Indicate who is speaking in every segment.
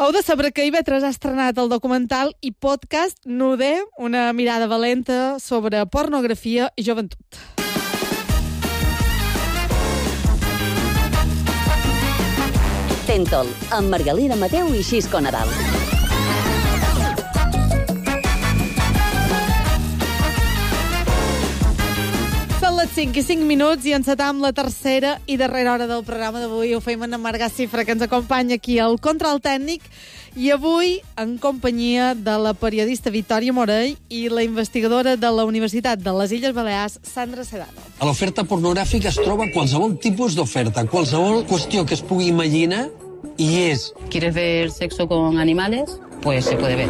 Speaker 1: Heu de saber que IB3 ha estrenat el documental i podcast Nude, una mirada valenta sobre pornografia i joventut.
Speaker 2: Tentol, amb Margalida Mateu i Xisco Nadal.
Speaker 1: Són les 5:05 i encetam la tercera i darrera hora del programa d'avui. Ho feim en Marga Cifra, que ens acompanya aquí al control tècnic, i avui en companyia de la periodista Vitòria Morell i la investigadora de la Universitat de les Illes Balears, Sandra Sedano.
Speaker 3: A l'oferta pornogràfica es troba qualsevol tipus d'oferta, qualsevol qüestió que es pugui imaginar, i és...
Speaker 4: ¿Quieres ver sexo con animales? Pues se puede ver.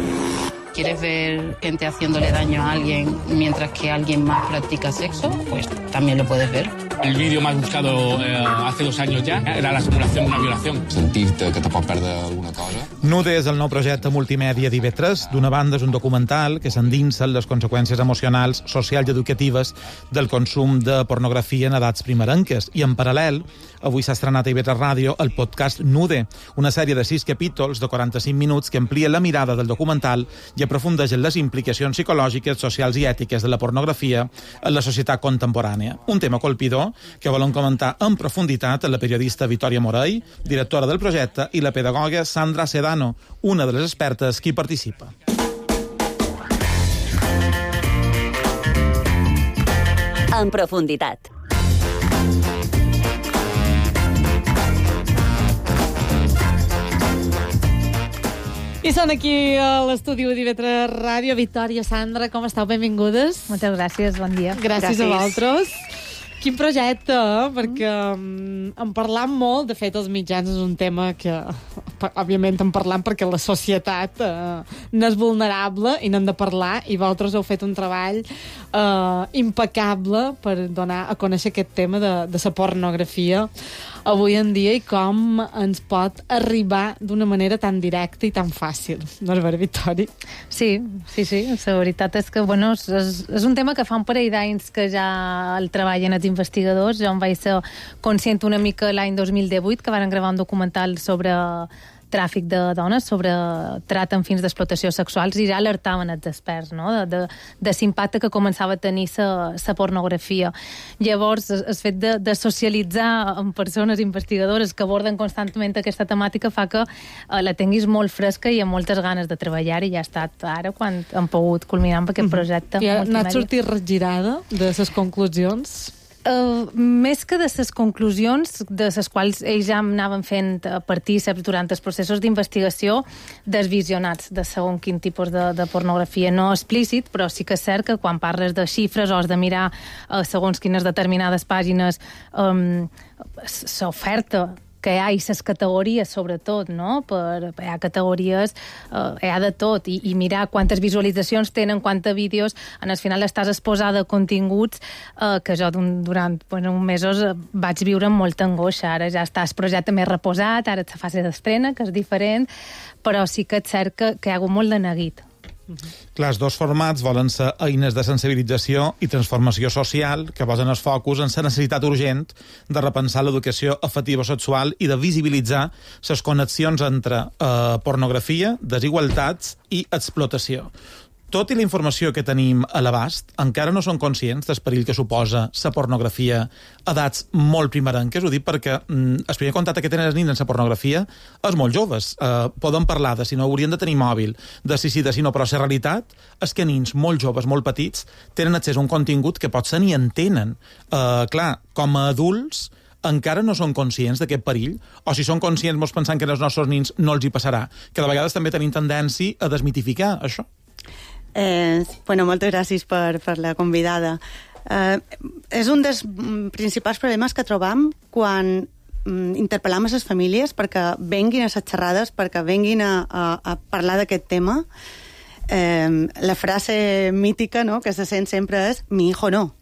Speaker 4: ¿Quieres ver gente haciéndole daño a alguien mientras que alguien más practica sexo? Pues también lo puedes ver.
Speaker 5: El vídeo más buscado hace 2 años ya era la simulación de una violación.
Speaker 6: Sentir-te que te pot perdre alguna cosa.
Speaker 7: Nude és el nou projecte multimèdia d'IB3. D'una banda, és un documental que s'endinsa en les conseqüències emocionals, socials i educatives del consum de pornografia en edats primerenques. I en paral·lel, avui s'ha estrenat a IB3 Ràdio el podcast Nude, una sèrie de 6 capítols de 45 minuts que amplia la mirada del documental i aprofundeix en les implicacions psicològiques, socials i ètiques de la pornografia en la societat contemporània. Un tema colpidor que volen comentar en profunditat la periodista Vitòria Morell, directora del projecte, i la pedagoga Sandra Sedano, una de les expertes que hi participa.
Speaker 2: En profunditat.
Speaker 1: I són aquí a l'estudi d'IB3 Ràdio. Vitòria, Sandra, com esteu? Benvingudes.
Speaker 8: Moltes gràcies, bon dia.
Speaker 1: Gràcies a vosaltres. Quin projecte, perquè en parlam molt. De fet, els mitjans és un tema que, òbviament, en parlam perquè la societat n'és vulnerable i n'hem de parlar, i vosaltres heu fet un treball impecable per donar a conèixer aquest tema de la pornografia avui en dia i com ens pot arribar d'una manera tan directa i tan fàcil. No és vera, Vitòria?
Speaker 8: Sí. La veritat és que, bueno, és un tema que fa un parell d'anys que ja el treballen els investigadors. Jo em vaig ser conscient una mica l'any 2018, que van gravar un documental sobre tràfic de dones, sobre tracte amb fins d'explotació sexuals, i ja alertaven els experts, no?, de l'impacte que començava a tenir la pornografia. Llavors, el fet de socialitzar amb persones investigadores que aborden constantment aquesta temàtica fa que la tinguis molt fresca i amb moltes ganes de treballar, i ja ha estat ara quan hem pogut culminar amb aquest projecte.
Speaker 1: I ha anat sortir regirada de les conclusions?
Speaker 8: Més que de les conclusions, de les quals ells ja anaven fent partíceps durant els processos d'investigació, desvisionats de segon quin tipus de pornografia, no explícit, però sí que és cert que quan parles de xifres o has de mirar segons quines determinades pàgines s'oferta que hi ha les categories, sobretot, no? Hi ha categories, hi ha de tot, i mirar quantes visualitzacions tenen, quants vídeos, al final estàs exposada a continguts que jo durant uns mesos vaig viure amb molta angoixa. Ara ja està el projecte més reposat, ara ets a fase d'estrena, que és diferent, però sí que és cert que hi ha hagut molt de neguit.
Speaker 7: Clar, els dos formats volen ser eines de sensibilització i transformació social que posen el focus en la necessitat urgent de repensar l'educació afectivo-sexual i de visibilitzar les connexions entre pornografia, desigualtats i explotació. Tot i la informació que tenim a l'abast, encara no són conscients del perill que suposa la pornografia a edats molt primerenques. Ho dic perquè el primer contacte que tenen els nins amb la pornografia és molt joves. Poden parlar de si no haurien de tenir mòbil, de si sí, de si no, però la realitat és que nins molt joves, molt petits, tenen accés a un contingut que potser ni entenen. Clar, com a adults, encara no són conscients d'aquest perill, o si són conscients mos pensant que als nostres nins no els hi passarà, que de vegades també tenim tendència a desmitificar això.
Speaker 9: Moltes gràcies per la convidada. És un dels principals problemes que trobam quan interpel·lam a les famílies perquè venguin a les xerrades, perquè venguin a parlar d'aquest tema. La frase mítica, no?, que se sent sempre és «mi hijo no».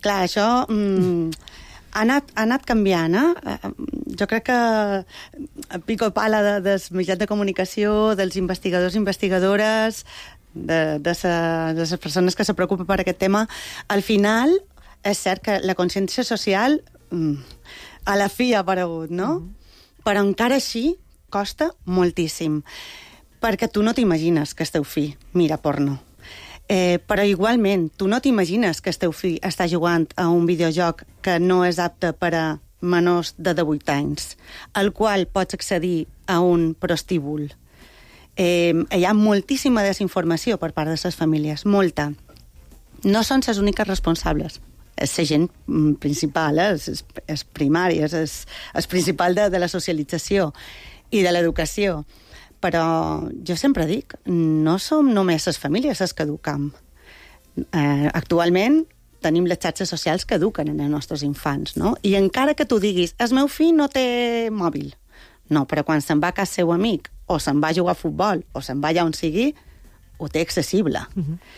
Speaker 9: Clar, això ha anat canviant, Jo crec que pico pala dels mitjans de comunicació, dels investigadors i investigadores, de les persones que se preocupen per aquest tema, al final és cert que la consciència social a la fi ha aparegut, no? Però encara així costa moltíssim, perquè tu no t'imagines que el teu fill mira porno. Però igualment, tu no t'imagines que el teu fill està jugant a un videojoc que no és apte per a menors de 18 anys, al qual pots accedir a un prostíbul. Hi ha moltíssima desinformació per part de les famílies, molta. No són les úniques responsables. És la gent principal, és primari, és principal de la socialització i de l'educació. Però jo sempre dic, no som només les famílies les que eduquem. Actualment tenim les xarxes socials que eduquen en els nostres infants, no? I encara que tu diguis, el meu fill no té mòbil. No, però quan se'n va a casa seu amic, o se'n va a jugar a futbol, o se'n va allà on sigui, ho té accessible.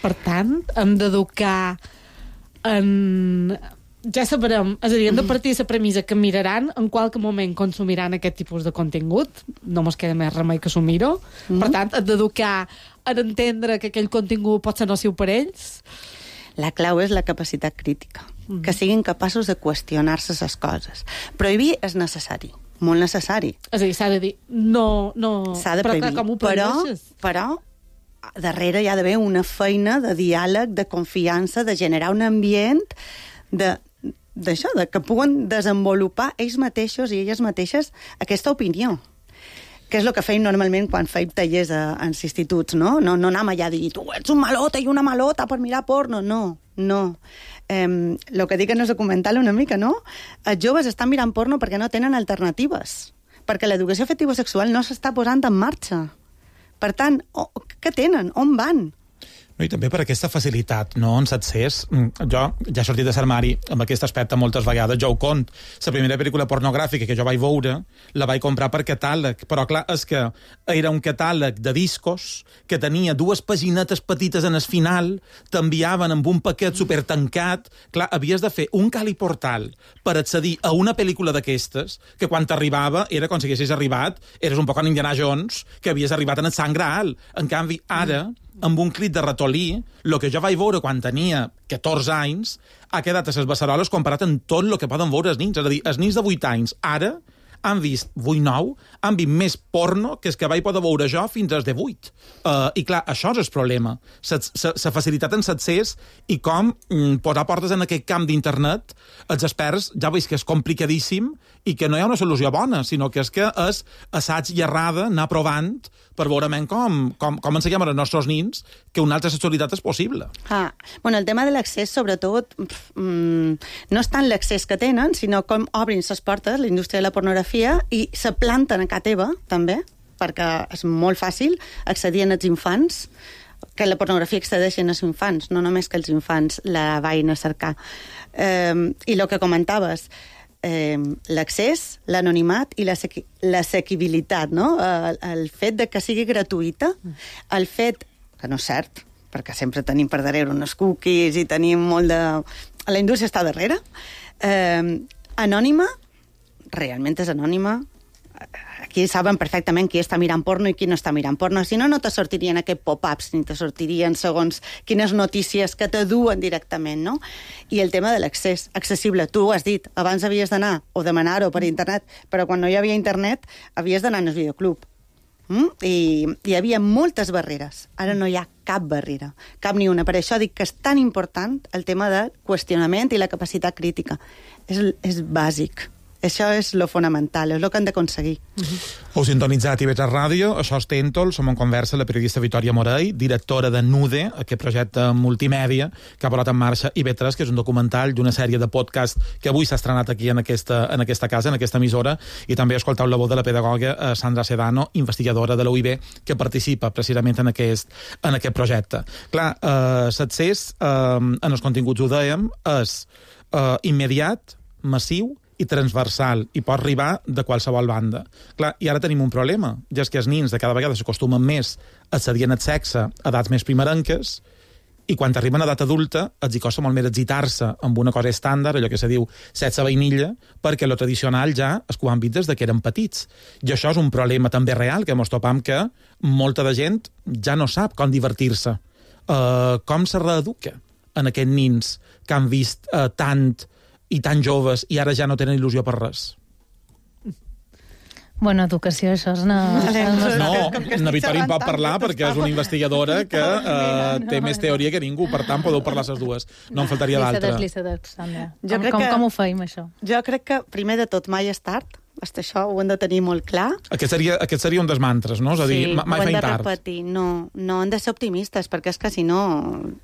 Speaker 1: Per tant, hem d'educar en... Ja sabrem, és a dir, hem de partir de la premissa que miraran, en qualque moment consumiran aquest tipus de contingut, no mos queda més remei que s'ho-miro. Per tant, hem d'educar a entendre que aquell contingut pot ser nociu per ells.
Speaker 9: La clau és la capacitat crítica, que siguin capaços de qüestionar-se les coses. Prohibir és necessari, molt necessari.
Speaker 1: És a dir, s'ha de dir, no...
Speaker 9: S'ha de prohibir,
Speaker 1: com ho prohibeixes?
Speaker 9: Però darrere hi ha d'haver una feina de diàleg, de confiança, de generar un ambient d'això, que puguen desenvolupar ells mateixos i elles mateixes aquesta opinió, que és el que feim normalment quan feim tallers als instituts, no? No anem allà a dir, tu ets un malota i una malota per mirar porno, no. El que dic en el documental una mica, no? Els joves estan mirant porno perquè no tenen alternatives, perquè l'educació afectivo-sexual no s'està posant en marxa. Per tant, què tenen? On van?
Speaker 7: No, i també per aquesta facilitat, no?, en l'accés. Jo ja he sortit de l'armari amb aquest aspecte moltes vegades, jo ho cont. La primera pel·lícula pornogràfica que jo vaig veure la vaig comprar per catàleg, però clar, és que era un catàleg de discos que tenia 2 paginetes petites en el final, t'enviaven amb un paquet supertancat. Clar, havies de fer un caliportal per accedir a una pel·lícula d'aquestes, que quan t'arribava era com si haguessis arribat, eres un poc en Indiana Jones, que havies arribat en el Sant Graal. En canvi, ara, amb un clic de ratolí, el que jo vaig veure quan tenia 14 anys ha quedat a les beceroles comparat amb tot el que poden veure els nins. És a dir, els nins de 8 anys ara han vist 8-9, han vist més porno que el que vaig poder veure jo fins als de 8. I clar, això és el problema. La facilitat en l'accés i com posar portes en aquest camp d'internet, els experts ja veus que és complicadíssim i que no hi ha una solució bona, sinó que és assaig i errada, anar provant per veure com ensenyem als nostres nins que una altra sexualitat és possible.
Speaker 9: Bueno, el tema de l'accés, sobretot, no és tant l'accés que tenen, sinó com obrin les portes, la indústria de la pornografia, i se planten a casa teva, també, perquè és molt fàcil accedir als infants, que la pornografia accedeixen als infants, no només que els infants la vagin a cercar. I el que comentaves, l'accés, l'anonimat i l'assequibilitat, no? El fet de que sigui gratuïta, el fet, que no és cert, perquè sempre tenim per darrere unes cookies i tenim molt de... La indústria està darrere. Anònima, realment és anònima. Aquí saben perfectament qui està mirant porno i qui no està mirant porno. Si no, no te sortirien aquests pop-ups, ni te sortirien segons quines notícies que te duen directament, no? I el tema de l'accés, accessible. Tu ho has dit, abans havies d'anar o demanar-ho per internet, però quan no hi havia internet havies d'anar al videoclub. I hi havia moltes barreres. Ara no hi ha cap barrera, cap ni una. Per això dic que és tan important el tema del qüestionament i la capacitat crítica. És bàsic. Això és lo fonamental, és el que han d'aconseguir.
Speaker 7: Heu sintonitzat IB3 Ràdio, això és Tèntol, som en conversa la periodista Vitòria Morell, directora de Nude, aquest projecte multimèdia que ha posat en marxa IB3, que és un documental i una sèrie de podcast que avui s'ha estrenat aquí en aquesta casa, en aquesta emissora, i també escoltau la veu de la pedagoga Sandra Sedano, investigadora de la UIB, que participa precisament en aquest projecte. Clar, l'accés en els continguts, ho dèiem, és immediat, massiu i transversal, i pot arribar de qualsevol banda. Clar, i ara tenim un problema, ja és que els nins de cada vegada s'acostumen més a accedir al sexe a edats més primerenques, i quan arriben a edat adulta els hi costa molt més excitar-se amb una cosa estàndard, allò que se diu sexe vainilla, perquè lo tradicional ja és que ho han vist des que eren petits. I això és un problema també real, que mos topam que molta de gent ja no sap com divertir-se. Com se reeduca en aquests nins que han vist tant i tan joves i ara ja no tenen il·lusió per res?
Speaker 8: Bueno, educació, això és una...
Speaker 7: Na Victòria en pot parlar perquè és una investigadora que té més teoria que ningú, per tant podeu parlar les dues. No en faltaria l'altra.
Speaker 8: Sandra. Com ho feim, això?
Speaker 9: Jo crec que, primer de tot, mai és tard. Això ho hem de tenir molt clar.
Speaker 7: Aquest seria un dels mantres, no? És a dir, mai feim tard. Sí, ho hem de
Speaker 9: repetir. No hem de ser optimistes, perquè és que si no,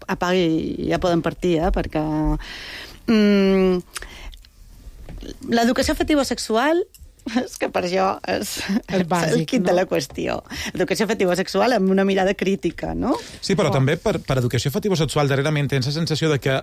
Speaker 9: apaga i ja podem partir, perquè... L'educació afectivo-sexual és que per jo és bàsic, el kit de la qüestió. Educació afectivo-sexual amb una mirada crítica, no?
Speaker 7: Sí, però també per educació afectivo-sexual darrerament tens la sensació de que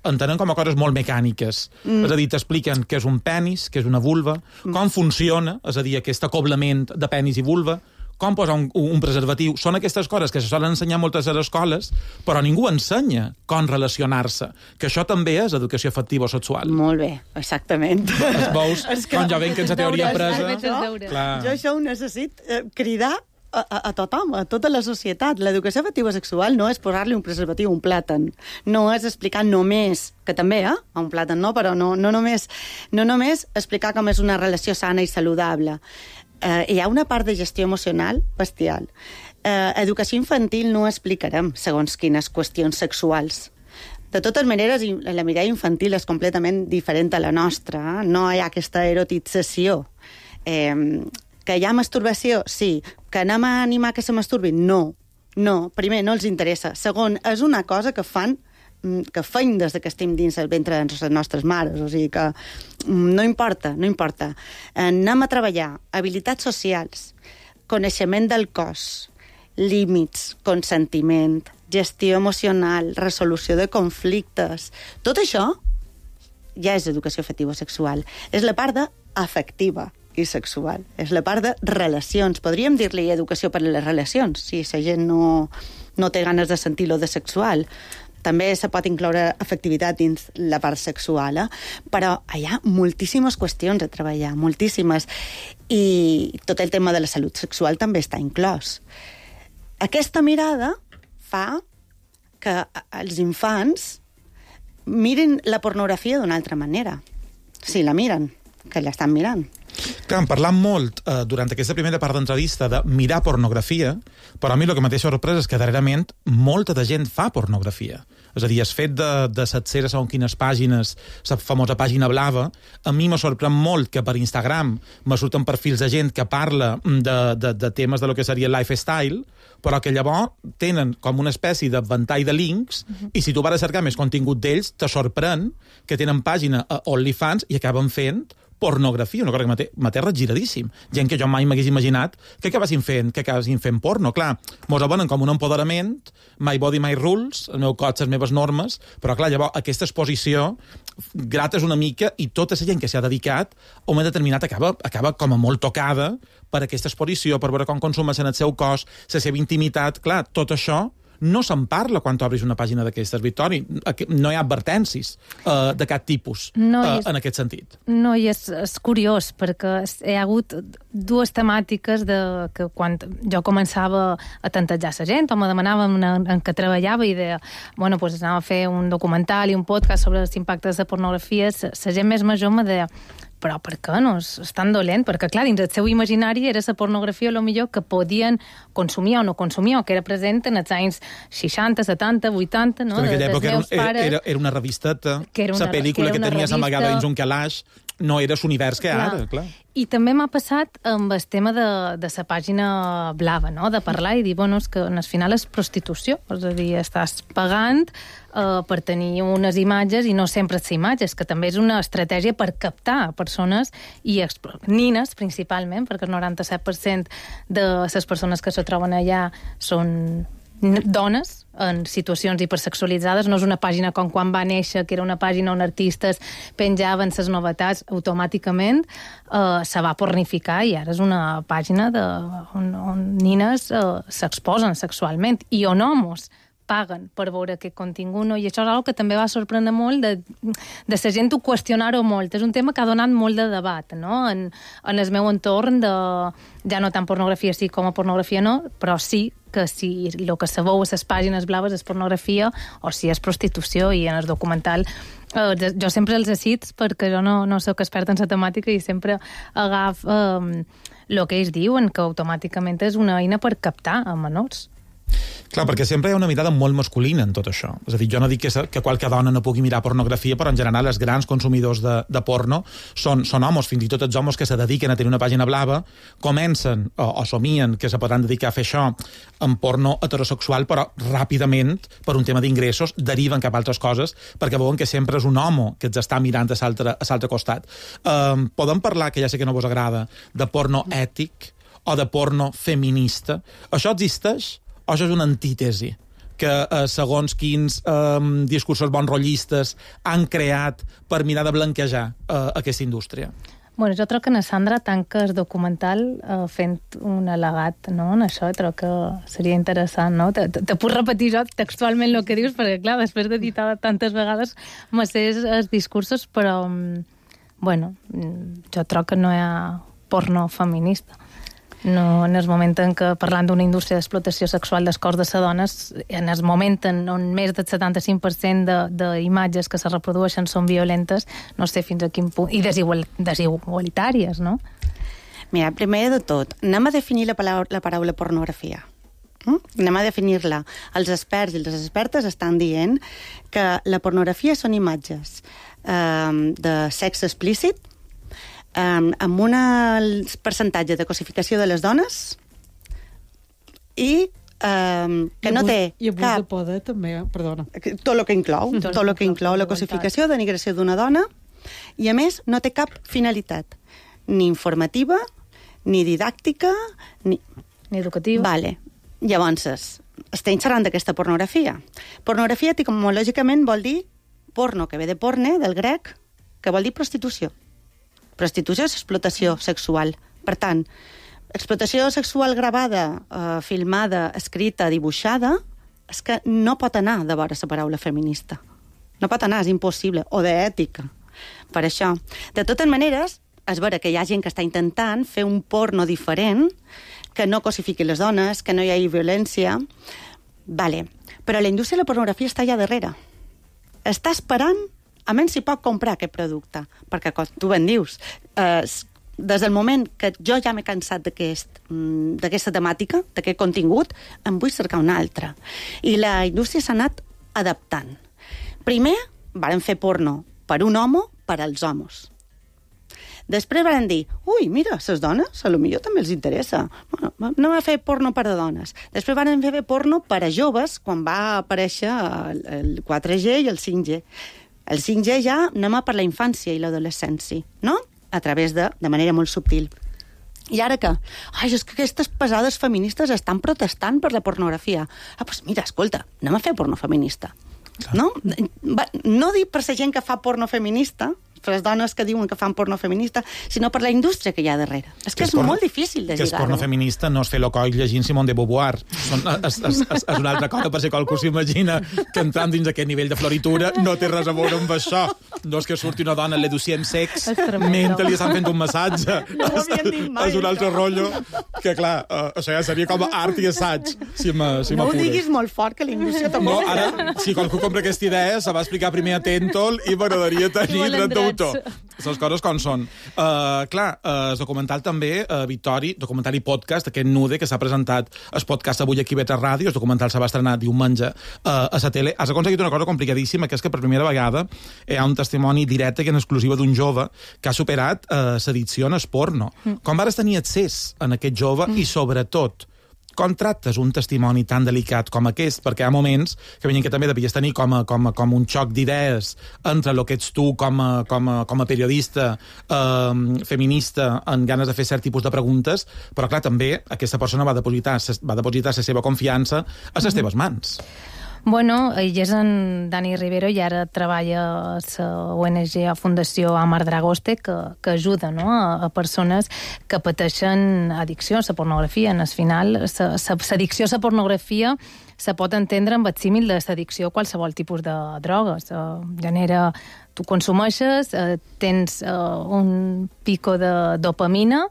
Speaker 7: entenen com a coses molt mecàniques. És a dir, t'expliquen què és un penis, què és una vulva, com funciona, és a dir, aquest acoblament de penis i vulva, com posar un preservatiu. Són aquestes coses que se solen ensenyar moltes a les escoles, però ningú ensenya com relacionar-se. Que això també és educació afectivo-sexual.
Speaker 9: Molt bé, exactament.
Speaker 7: Veus com ja ven que ens ha teoria presa?
Speaker 9: Jo això ho necessit cridar a tothom, a tota la societat. L'educació afectivo-sexual no és posar-li un preservatiu a un plàtan. No és explicar només, que també, a un plàtan no, però no només explicar com és una relació sana i saludable. Hi ha una part de gestió emocional bestial. Educació infantil no explicarem segons quines qüestions sexuals. De totes maneres, la mirada infantil és completament diferent a la nostra. No hi ha aquesta erotització. Que hi ha masturbació? Sí. Que anem a animar que se masturbin? No. Primer, no els interessa. Segon, és una cosa que feim des que estem dins el ventre de les nostres mares, o sigui que no importa. Anem a treballar habilitats socials, coneixement del cos, límits, consentiment, gestió emocional, resolució de conflictes. Tot això ja és educació afectivo-sexual. És la part afectiva i sexual. És la part de relacions. Podríem dir-li educació per a les relacions, si la gent no té ganes de sentir-lo de sexual. També se pot incloure afectivitat dins la part sexual, però hi ha moltíssimes qüestions a treballar, moltíssimes. I tot el tema de la salut sexual també està inclòs. Aquesta mirada fa que els infants mirin la pornografia d'una altra manera. Si la miren, que l'estan mirant.
Speaker 7: Clar, hem parlat molt durant aquesta primera part d'entrevista de mirar pornografia, però a mi el que m'ha sorprès és que darrerament molta de gent fa pornografia. És a dir, el fet de setzer a segons quines pàgines, la famosa pàgina blava, a mi m'ha sorprès molt que per Instagram me surten perfils de gent que parla de temes de lo que seria lifestyle, però que llavors tenen com una espècie de ventall de links i si tu vas a cercar més contingut d'ells, te sorprèn que tenen pàgina a OnlyFans i acaben fent pornografia, una cosa que m'ha giradíssim. Gent que jo mai m'hagués imaginat que acabessin fent porno. Clar, mos abonen com un empoderament, my body, my rules, el meu cos, les meves normes, però clar, llavors aquesta exposició grates una mica i tota la gent que s'hi ha dedicat a un moment determinat acaba com a molt tocada per aquesta exposició, per veure com consumeixen el seu cos, la seva intimitat. Clar, tot això no se'n parla quan t'obris una pàgina d'aquestes, Victòria. No hi ha advertències de cap tipus en aquest sentit.
Speaker 8: No, i és curiós, perquè hi ha hagut dues temàtiques que quan jo començava a tantejar la gent, o me demanaven en què treballava i deia, bueno, pues anava a fer un documental i un podcast sobre els impactes de pornografia, la gent més major me deia, però per què no? És tan dolent? Perquè, clar, dins el seu imaginari era la pornografia el millor que podien consumir o no consumir, o que era present en els anys 60, 70, 80, no?
Speaker 7: En aquella època era una revisteta, la pel·lícula que tenies amagada dins un calaix, no era l'univers que ara, clar.
Speaker 8: I també m'ha passat amb el tema de la pàgina blava, no? De parlar i dir, bueno, és que al final és prostitució, és a dir, estàs pagant per tenir unes imatges i no sempre les imatges, que també és una estratègia per captar persones i nines, principalment, perquè el 97% de les persones que se troben allà són dones en situacions hipersexualitzades. No és una pàgina com quan va néixer, que era una pàgina on artistes penjaven les novetats automàticament, se va pornificar i ara és una pàgina on nines s'exposen sexualment i on homes paguen per veure aquest contingut, no? I això és una que també va sorprendre molt de la gent ho qüestionar-ho molt. És un tema que ha donat molt de debat, no? En el meu entorn, ja no tant pornografia sí com a pornografia no, però sí que si el que se veu a les pàgines blaves és pornografia o si és prostitució, i en el documental jo sempre els cito perquè jo no soc experta en la temàtica i sempre agafo el que ells diuen, que automàticament és una eina per captar a menors.
Speaker 7: Clar, perquè sempre hi ha una mirada molt masculina en tot això. És a dir, jo no dic que qualque dona no pugui mirar pornografia, però en general els grans consumidors de porno són homes, fins i tot els homes que se dediquen a tenir una pàgina blava, comencen o somien que se podran dedicar a fer això en porno heterosexual, però ràpidament, per un tema d'ingressos, deriven cap a altres coses, perquè veuen que sempre és un home que els està mirant a l'altre costat. Podem parlar, que ja sé que no vos agrada, de porno ètic o de porno feminista? Això existeix? O això és una antítesi que segons quins discursos bonrollistes han creat per mirar de blanquejar aquesta indústria?
Speaker 8: Bueno, jo trobo que na Sandra tanca el documental fent un al·legat, no?, en això. Trobo que seria interessant, no? Te puc repetir jo textualment el que dius, perquè, clar, després d'editar tantes vegades me sé els discursos, però, bueno, jo trobo que no hi ha porno feminista. No, en el moment en què, parlant d'una indústria d'explotació sexual dels cors de les dones, en el moment on més del 75% d'imatges que se reprodueixen són violentes, no sé fins a quin punt, i desigualitàries, no?
Speaker 9: Mira, primer de tot, anem a definir la paraula pornografia. Anem a definir-la. Els experts i les expertes estan dient que la pornografia són imatges de sexe explícit, amb un percentatge de cosificació de les dones i que no té
Speaker 1: i abús de poder, també, perdona.
Speaker 9: Tot el que inclou la cosificació, denigració d'una dona, i a més no té cap finalitat, ni informativa, ni didàctica, ni
Speaker 8: educativa.
Speaker 9: Vale. Llavors, estem xerrant d'aquesta pornografia. Pornografia, etimològicament, vol dir porno, que ve de porne, del grec, que vol dir prostitució. Prostitució és explotació sexual. Per tant, explotació sexual gravada, filmada, escrita, dibuixada, és que no pot anar de vora la paraula feminista. No pot anar, és impossible. O d'ètica. Per això. De totes maneres, és vera que hi ha gent que està intentant fer un porno diferent, que no cosifiqui les dones, que no hi hagi violència. Vale. Però la indústria de la pornografia està allà darrere. Està esperant a menys si pot comprar aquest producte, perquè, com tu ben dius, des del moment que jo ja m'he cansat d'aquesta temàtica, d'aquest contingut, em vull cercar una altra. I la indústria s'ha anat adaptant. Primer, varen fer porno per un home, per als homes. Després varen dir, ui, mira, les dones, potser també els interessa. Bueno, anem a fer porno per a dones. Després varen fer porno per a joves, quan va aparèixer el 4G i el 5G. El 5G ja anem a per la infància i l'adolescència, no? A través de manera molt subtil. I ara què? Ai, és que aquestes pesades feministes estan protestant per la pornografia. Doncs mira, escolta, anem a fer porno feminista. No? No dic per la gent que fa porno feminista, per les dones que diuen que fan porno feminista, sinó per la indústria que hi ha darrere. És que és molt difícil de lligar-ho.
Speaker 7: Que és porno feminista no és fer lo coll llegint Simone de Beauvoir. És una altra cosa, per si qualcú s'imagina que entrant dins aquest nivell de floritura no té res a veure amb això. No és que surti una dona le docient sex mentre li estan fent un massatge. És un altre rotllo que, clar, això ja seria com a art i assaig, si m'apures.
Speaker 9: No ho diguis molt fort, que la indústria tampoc...
Speaker 7: No, ara, si qualcú compra aquesta idea, se va explicar primer a Tentol i m'agradaria tenir dret d'autor. Les coses com són. Clar, el documental també, Victori, documental i podcast, aquest Nude, que s'ha presentat el podcast avui aquí a Beta Ràdio, el documental se va estrenar diumenge a la tele. Has aconseguit una cosa complicadíssima, que és que per primera vegada hi ha un testimoni directe i en exclusiva d'un jove que ha superat l'addicció en el porno. Com vas tenir accés a aquest jove i, sobretot, com tractes un testimoni tan delicat com aquest? Perquè hi ha moments que venien que també devies tenir com un xoc d'idees entre el que ets tu com a periodista feminista en ganes de fer cert tipus de preguntes, però clar, també aquesta persona va depositar la seva confiança a les teves mans.
Speaker 8: Bueno, ell és en Dani Rivero i ara treballa a la ONG, a Fundació Amar Dragoste, que ajuda, no?, a persones que pateixen addicció a la pornografia. En el final, l'addicció a la pornografia se pot entendre amb el símil de l'addicció a qualsevol tipus de drogues. Genera, tu consumeixes, tens un pico de dopamina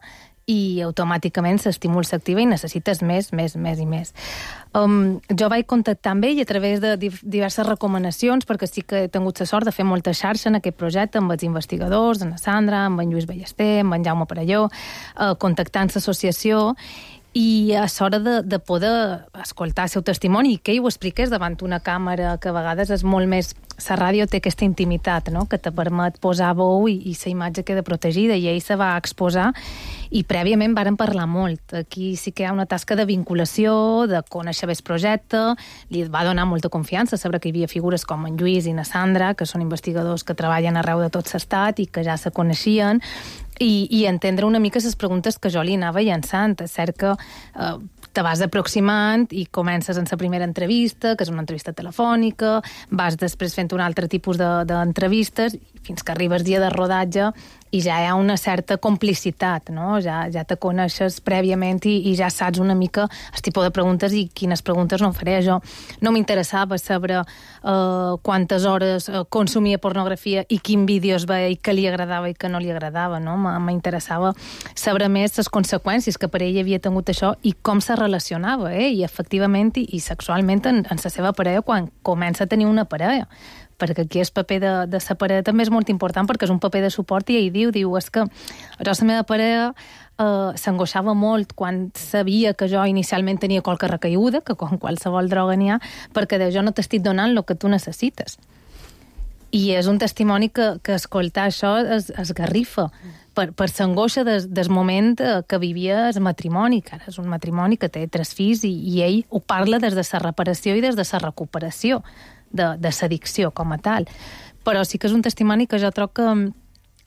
Speaker 8: i automàticament l'estímul s'activa i necessites més i més. Jo vaig contactar amb ell a través de diverses recomanacions, perquè sí que he tingut la sort de fer molta xarxa en aquest projecte amb els investigadors, amb la Sandra, amb en Lluís Ballester, amb en Jaume Parelló, contactant l'associació, i a l'hora de poder escoltar el seu testimoni i que ell ho expliqués davant una càmera, que a vegades és molt més... La ràdio té aquesta intimitat, no?, que te permet posar veu i la imatge queda protegida, i ell se va exposar i prèviament varen parlar molt. Aquí sí que hi ha una tasca de vinculació, de conèixer bé el projecte, li va donar molta confiança saber que hi havia figures com en Lluís i na Sandra, que són investigadors que treballen arreu de tot l'estat i que ja se coneixien, i entendre una mica les preguntes que jo li anava llançant. És cert que te vas aproximant i comences en la primera entrevista, que és una entrevista telefònica, vas després fent un altre tipus d'entrevistes, fins que arribes dia de rodatge i ja hi ha una certa complicitat, no? Ja te coneixes prèviament i ja saps una mica el tipus de preguntes i quines preguntes no faré. Jo no m'interessava saber quantes hores consumia pornografia i quin vídeos veia i què li agradava i què no li agradava, no? M'interessava saber més les conseqüències que per ell havia tingut això i com se relacionava, i efectivament i sexualment en la seva parella quan comença a tenir una parella. Perquè aquí el paper de la parella també és molt important, perquè és un paper de suport, i ell diu, és que la meva parella s'angoixava molt quan sabia que jo inicialment tenia qualque recaiguda, que com qualsevol droga n'hi ha, perquè jo no t'estic donant el que tu necessites. I és un testimoni que escoltar això es garrifa per l'angoixa del moment que vivia el matrimoni, que ara és un matrimoni que té 3 fills, i ell ho parla des de la reparació i des de la recuperació de l'addicció com a tal. Però sí que és un testimoni que jo trobo que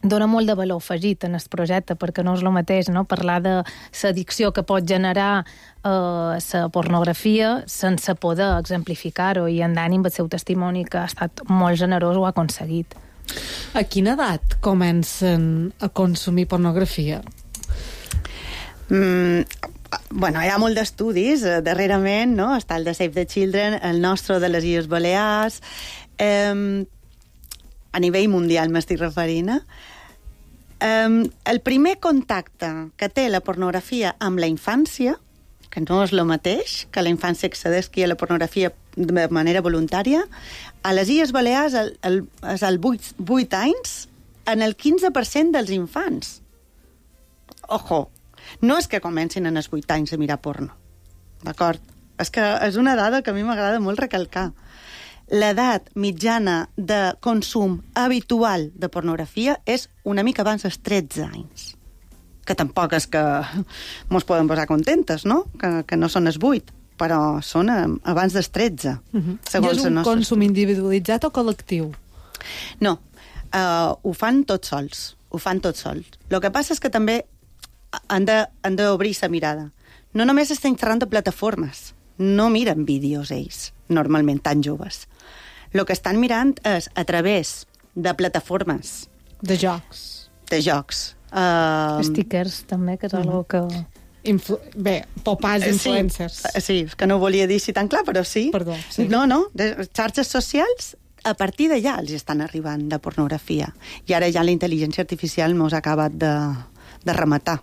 Speaker 8: dona molt de valor afegit en el projecte, perquè no és el mateix, no?, parlar de l'addicció que pot generar la pornografia sense poder exemplificar-ho, i en Dani, amb el seu testimoni, que ha estat molt generós, ho ha aconseguit.
Speaker 1: A quina edat comencen a consumir pornografia?
Speaker 9: Bueno, hi ha molt d'estudis darrerament, no? Està el de Save the Children, el nostre de les Illes Balears, a nivell mundial m'estic referint. El primer contacte que té la pornografia amb la infància, que no és el mateix que la infància accedeixi a la pornografia de manera voluntària, a les Illes Balears és als 8 anys en el 15% dels infants. Ojo! No és que comencin en els 8 anys a mirar porno, d'acord? És que és una dada que a mi m'agrada molt recalcar. L'edat mitjana de consum habitual de pornografia és una mica abans dels 13 anys. Que tampoc és que mos podem posar contentes, no? Que no són els 8, però són abans dels 13.
Speaker 1: I és un consum individualitzat o col·lectiu?
Speaker 9: No, ho fan tots sols. El que passa és que també han d'obrir la mirada. No només estem xerrant de plataformes, no miren vídeos ells, normalment tan joves. El que estan mirant és a través de plataformes.
Speaker 1: De jocs.
Speaker 8: Stickers, també, que és algo que...
Speaker 1: Popars influencers.
Speaker 9: Sí, és que no ho volia dir així tan clar, però sí.
Speaker 1: Perdó, sí.
Speaker 9: No, xarxes socials, a partir d'allà els estan arribant de pornografia. I ara ja la intel·ligència artificial mos ha acabat de rematar,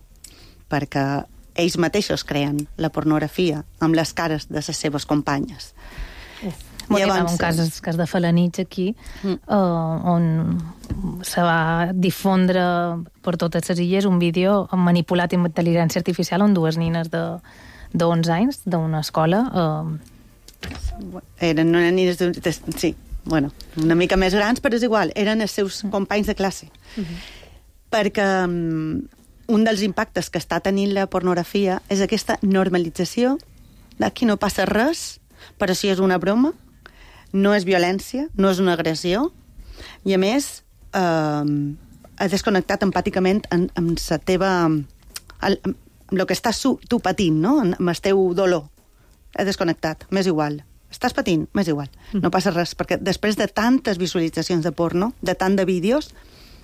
Speaker 9: perquè ells mateixos creen la pornografia amb les cares de les seves companyes.
Speaker 8: Hi ha un cas de Falanich aquí, on se va difondre per totes les illes un vídeo manipulat amb intel·ligència artificial on 2 nines de 11 anys d'una escola...
Speaker 9: Eren unes nines sí, bueno, una mica més grans, però és igual, eren els seus companys de classe. Perquè un dels impactes que està tenint la pornografia és aquesta normalització d'aquí no passa res, però si és una broma, no és violència, no és una agressió, i a més has desconnectat empàticament amb la teva... amb el que estàs tu patint, no?, amb el teu dolor. Has desconnectat, m'és igual. Estàs patint, m'és igual. No passa res, perquè després de tantes visualitzacions de porno, de tant de vídeos,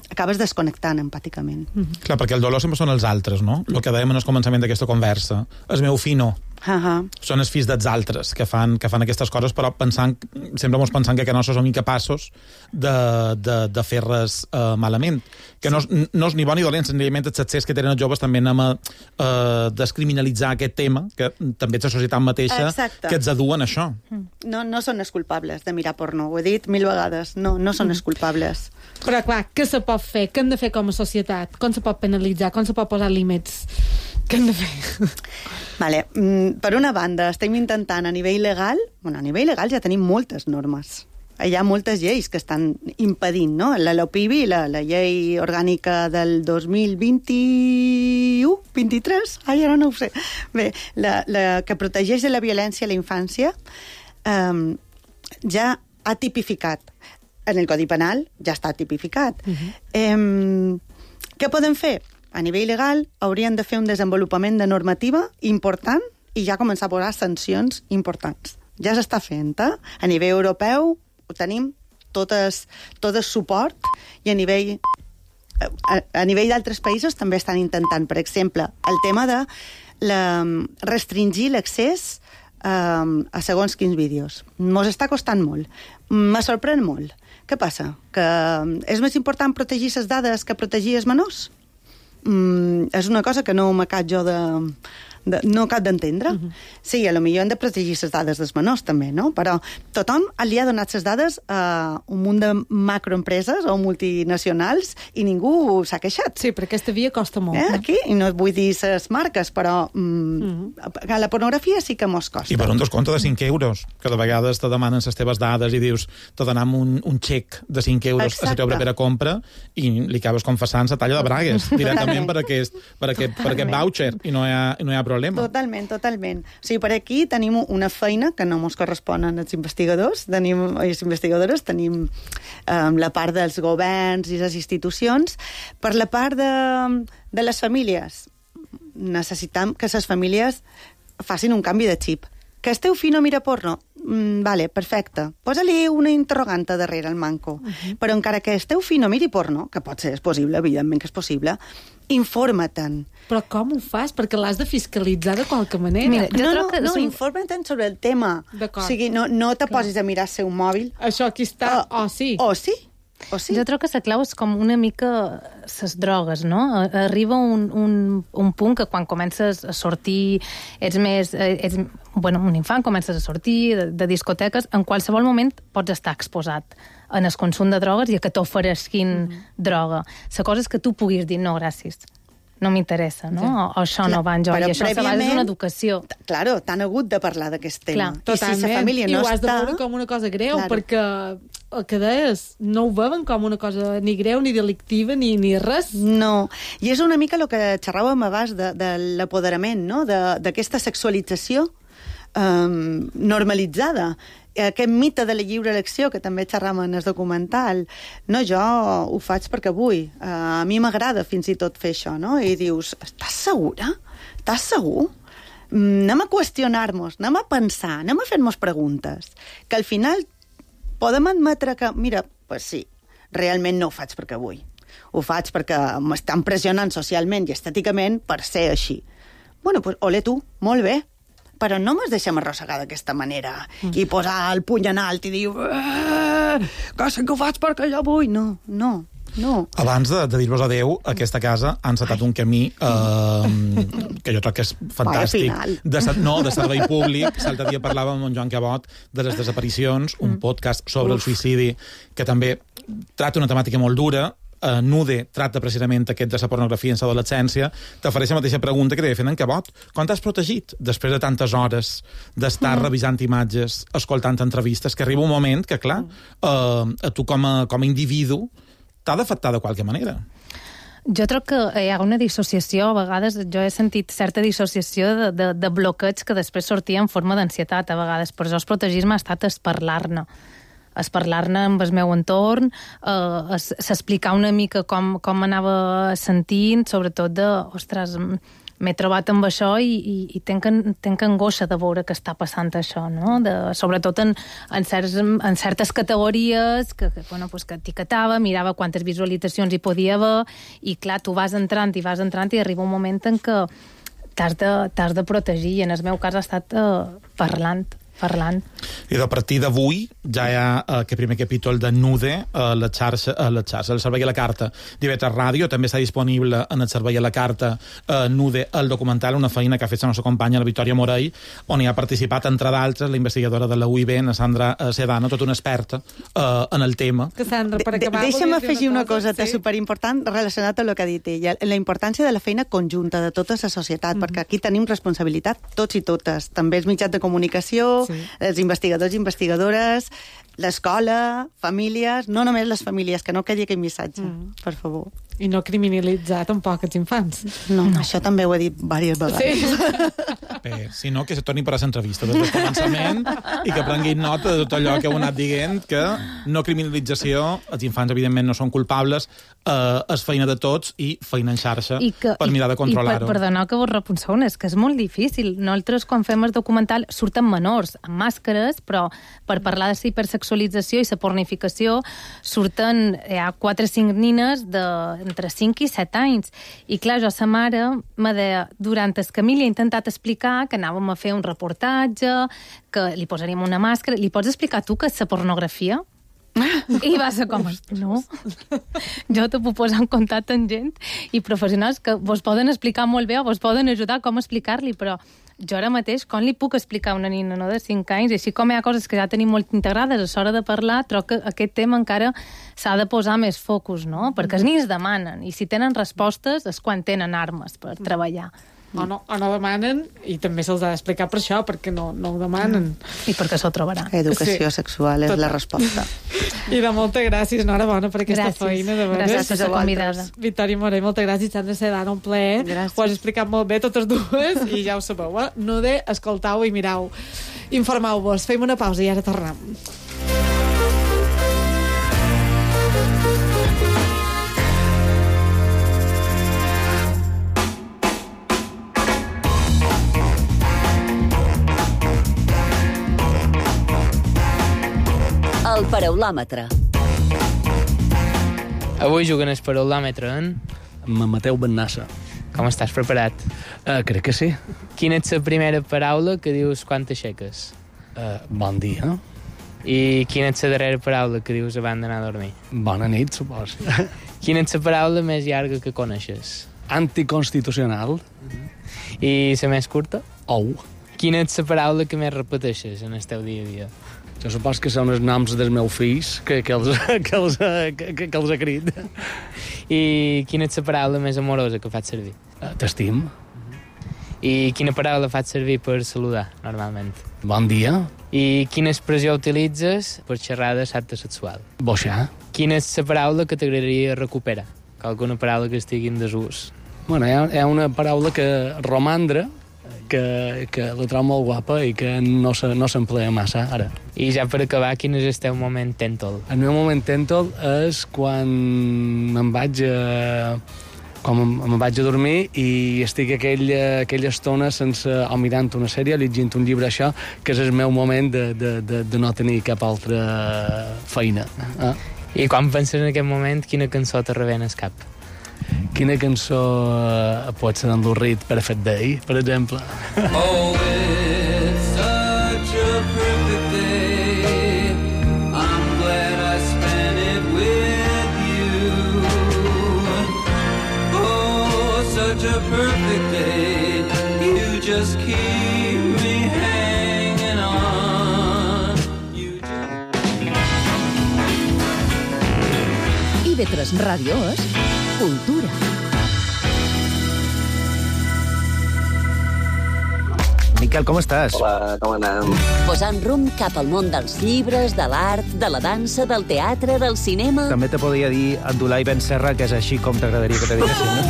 Speaker 9: acabes desconnectant empàticament.
Speaker 7: Clar, perquè el dolor sempre són els altres, no? El que dèiem en el començament d'aquesta conversa. El meu fill no. Són els fills dels altres que fan aquestes coses, però sempre mos pensant que nosaltres som incapaços de fer res malament. Que no és ni bon ni dolent, senzillament els accés que tenen els joves també anem a descriminalitzar aquest tema, que també és la societat mateixa que ens aduen això.
Speaker 9: No són els culpables de mirar porno, ho he dit 1000 vegades, no són els culpables.
Speaker 1: Però clar, què se pot fer? Què hem de fer com a societat? Com se pot penalitzar? Com se pot posar límits? Què hem de fer?
Speaker 9: Vale. Per una banda, estem intentant a nivell legal... Bueno, a nivell legal ja tenim moltes normes. Hi ha moltes lleis que estan impedint, no? La LOPIBI, la llei orgànica del 2021, 23, ara no ho sé. Bé, la que protegeix de la violència a la infància ja ha tipificat. En el Codi Penal ja està tipificat. Què podem fer? A nivell legal haurien de fer un desenvolupament de normativa important i ja començar a posar sancions importants. Ja s'està fent, A nivell europeu ho tenim tot el suport i a nivell d'altres països també estan intentant, per exemple, el tema de restringir l'accés a segons quins vídeos. Mos està costant molt. Me sorprèn molt. Què passa? Que és més important protegir les dades que protegir els menors? És una cosa que no m'acab jo no acab d'entendre. Sí, potser hem de protegir les dades dels menors també, no? Però tothom li ha donat les dades a un munt de macroempreses o multinacionals i ningú s'ha queixat.
Speaker 1: Sí, però aquesta via costa molt.
Speaker 9: Aquí, i no vull dir les marques, però a la pornografia sí que mos costa.
Speaker 7: I per un descompte de 5 euros, que de vegades te demanen les teves dades i dius, te donem un xec de 5 euros a la teva propera compra i li acabes confessant la talla de bragues directament per aquest voucher i no hi ha problema.
Speaker 9: Totalment. O sigui, per aquí tenim una feina que no ens correspon als investigadors, les investigadores, tenim la part dels governs i les institucions. Per la part de les famílies, necessitem que les famílies facin un canvi de xip. Que el teu fill no mira porno? Vale, perfecte. Posa-li una interroganta darrere el manco. Però encara que el teu fill no miri porno, que pot ser, és possible, evidentment que és possible, informa-te'n.
Speaker 1: Però com ho fas? Perquè l'has de fiscalitzar de qualque manera.
Speaker 9: Mira, informa-te'n sobre el tema.
Speaker 1: D'acord.
Speaker 9: O sigui, no te posis a mirar el seu mòbil.
Speaker 1: Això aquí està, sí.
Speaker 9: O sí.
Speaker 8: Jo trobo que la clau és com una mica les drogues, no? Arriba un punt que quan comences a sortir, un infant, comences a sortir de discoteques, en qualsevol moment pots estar exposat en el consum de drogues i a que t'ofereixin droga. La cosa és que tu puguis dir no, gràcies. No m'interessa, no? O això no va en joc. I això se basa en una educació.
Speaker 9: Claro, t'han hagut de parlar d'aquest tema.
Speaker 1: Totalment. I si la família no està... I ho has de veure com una cosa greu, perquè el que deies, no ho veuen com una cosa ni greu, ni delictiva, ni res.
Speaker 9: No. I és una mica el que xerràvem abans de l'apoderament, no? D'aquesta sexualització normalitzada. Aquest mite de la lliure elecció, que també xerram en el documental. No, jo ho faig perquè vull. A mi m'agrada fins i tot fer això, no? I dius, estàs segura? Estàs segur? Anem a qüestionar-nos, anem a pensar, anem a fer-nos preguntes. Que al final podem admetre que, mira, pues sí, realment no ho faig perquè vull. Ho faig perquè m'estan pressionant socialment i estèticament per ser així. Bueno, pues ole tu, molt bé. Però no ens deixem arrossegar d'aquesta manera i posar el puny en alt i dir que sé que ho faig perquè jo vull. No.
Speaker 7: Abans de dir-vos adeu, aquesta casa ha encetat un camí que jo crec que és fantàstic. De servei públic. L'altre dia parlàvem amb en Joan Cabot de les desaparicions, un podcast sobre el suïcidi que també tracta una temàtica molt dura. Nude tracta precisament aquest de la pornografia en l'adolescència. T'ofereix la mateixa pregunta que t'he fet en Cabot. Quan t'has protegit després de tantes hores d'estar revisant imatges, escoltant entrevistes, que arriba un moment que, clar, a tu com a individu t'ha d'afectar de qualque manera.
Speaker 8: Jo trobo que hi ha una dissociació, a vegades jo he sentit certa dissociació de bloqueig que després sortia en forma d'ansietat, a vegades. Per això el protegir-me ha estat parlar-ne amb el meu entorn, s'explicar una mica com m'anava sentint, sobretot ostres, m'he trobat amb això i tenc angoixa de veure que està passant això, no? Sobretot en certes categories que etiquetava, mirava quantes visualitzacions hi podia haver, i clar, tu vas entrant i arriba un moment en què t'has de protegir, i en el meu cas ha estat parlant.
Speaker 7: I a partir d'avui ja hi ha aquest primer capítol de Nude a la xarxa, el servei a la carta d'IV3 Ràdio. També està disponible en el servei a la carta Nude, el documental, una feina que ha fet la nostra companya, la Victòria Morell, on hi ha participat, entre d'altres, la investigadora de la UIB, la Sandra Sedano, tota una experta en el tema.
Speaker 1: Que Sandra, per acabar...
Speaker 9: Deixa'm afegir una cosa superimportant relacionat amb el que ha dit ella, la importància de la feina conjunta de tota la societat, perquè aquí tenim responsabilitat tots i totes, també els mitjans de comunicació, els investigadors i investigadores, l'escola, famílies, no només les famílies, que no quedi aquell missatge, per favor.
Speaker 1: I no criminalitzar tampoc els infants.
Speaker 9: No, això també ho he dit diverses vegades.
Speaker 7: Bé, si no, que se torni per a l'entrevista des del començament i que prenguin nota de tot allò que heu anat dient, que no criminalització, els infants evidentment no són culpables, és feina de tots i feina en xarxa per mirar de controlar-ho.
Speaker 8: I perdoneu que vos repenseu, és que és molt difícil. Nosaltres, quan fem el documental, surten menors amb màscares, però per parlar de la hipersexualització i la pornificació surten 4 o 5 nines entre 5 i 7 anys. I clar, jo, sa mare me deia, durant el camí li he intentat explicar que anàvem a fer un reportatge, que li posaríem una màscara. Li pots explicar tu què és la pornografia? I va ser com, no. Jo te puc posar en contacte amb gent i professionals que vos poden explicar molt bé o vos poden ajudar com explicar-li, però jo ara mateix com li puc explicar a una nina de 5 anys? I així com hi ha coses que ja tenim molt integrades a l'hora de parlar, trobo que aquest tema encara s'ha de posar més focus, no? Perquè els nens demanen, i si tenen respostes és quan tenen armes per treballar.
Speaker 1: O no demanen, i també se'ls ha d'explicar per això, perquè no ho demanen.
Speaker 8: I perquè s'ho trobarà.
Speaker 9: Educació sexual és la resposta.
Speaker 1: I moltes gràcies, enhorabona per aquesta feina.
Speaker 8: Gràcies per ser convidada.
Speaker 1: Victòria Morell, moltes gràcies. Sandra Sedano, un plaer. Ho has explicat molt bé, totes dues, i ja ho sabeu, Nude, escoltau i mirau. Informeu-vos. Fem una pausa i ara tornem.
Speaker 2: El paraulòmetre.
Speaker 10: Avui juguen el paraulòmetre en
Speaker 11: Mateu Bennassa.
Speaker 10: Com estàs preparat?
Speaker 11: Crec que sí.
Speaker 10: Quina és la primera paraula que dius quan t'aixeques?
Speaker 11: Bon dia.
Speaker 10: I quina és la darrera paraula que dius abans d'anar a dormir?
Speaker 11: Bona nit, supos.
Speaker 10: Quina és la paraula més llarga que coneixes?
Speaker 11: Anticonstitucional.
Speaker 10: I la més curta?
Speaker 11: Ou.
Speaker 10: Quina és la paraula que més repeteixes en el teu dia a dia?
Speaker 11: Jo supos que són els noms dels meus fills que els ha crit.
Speaker 10: I quina és la paraula més amorosa que faig servir?
Speaker 11: T'estim.
Speaker 10: I quina paraula faig servir per saludar, normalment?
Speaker 11: Bon dia.
Speaker 10: I quina expressió utilitzes per xerrar de l'acte sexual?
Speaker 11: Boixar.
Speaker 10: Quina és la paraula que t'agradaria recuperar? Alguna paraula que estigui en desús?
Speaker 11: Bueno, hi ha una paraula que romandre, que la trobo molt guapa i que no s'emplea massa ara.
Speaker 10: I ja per acabar, quin és el teu moment tèntol?
Speaker 11: El meu moment tèntol és quan me'n vaig a dormir i estic aquella estona o mirant una sèrie, llegint un llibre, això, que és el meu moment de no tenir cap altra feina.
Speaker 10: I quan penses en aquest moment, quina cançó te rebé al cap?
Speaker 11: Quina cançó pot ser d'Andorrit Perfect Day, per exemple?
Speaker 12: Oh, it's such a perfect day. I'm glad I spent it with you. Oh, such a perfect day. You just keep me hanging on.
Speaker 2: IV3 Ràdio és cultura.
Speaker 13: Miquel, com estàs?
Speaker 14: Hola, com anem?
Speaker 2: Posant rumb cap al món dels llibres, de l'art, de la dansa, del teatre, del cinema...
Speaker 13: També te podria dir Abdulai Ben Serra, que és així com t'agradaria que te diguessin, no?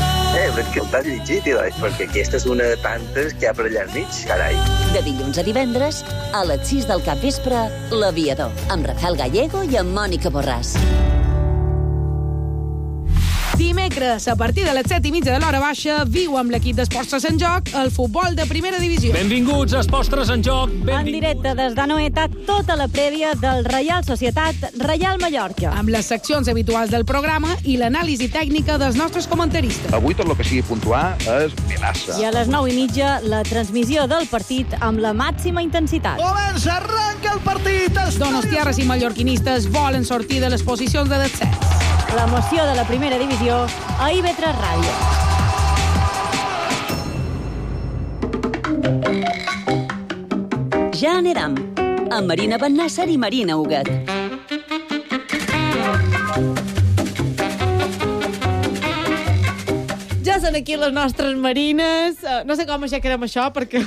Speaker 14: Perquè el t'has llegit, perquè aquesta és una de tantes que hi ha per allà al mig, carai.
Speaker 2: De dilluns a divendres, a les 6 del capvespre, L'Aviador, amb Rafael Gallego i amb Mònica Borràs.
Speaker 15: Dimecres, a partir de les 7:30 de l'hora baixa, viu amb l'equip d'Esports Tres en Joc el futbol de primera divisió.
Speaker 16: Benvinguts a Esports Tres en Joc.
Speaker 17: En directe des d'Anoeta, tota la prèvia del Reial Societat Reial Mallorca.
Speaker 15: Amb les seccions habituals del programa i l'anàlisi tècnica dels nostres comentaristes.
Speaker 18: Avui tot el que sigui puntuar és Vilassa.
Speaker 17: I a les 9:30, la transmissió del partit amb la màxima intensitat.
Speaker 19: Comença, arranca el partit!
Speaker 15: Donostiarres i mallorquinistes volen sortir de les posicions de descens.
Speaker 17: L'emoció de la primera divisió a IB3 Ràdio.
Speaker 2: Ja anirem, amb Marina Bennàsser i Marina Huguet.
Speaker 1: Ja són aquí les nostres marines. No sé com aixecarem això, perquè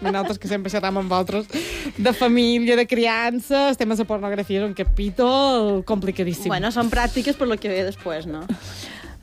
Speaker 1: nosaltres que sempre xerram amb vosaltres de família, de criança, els temes de pornografia és un capítol complicadíssim.
Speaker 20: Bueno, són pràctiques per lo que ve després, no?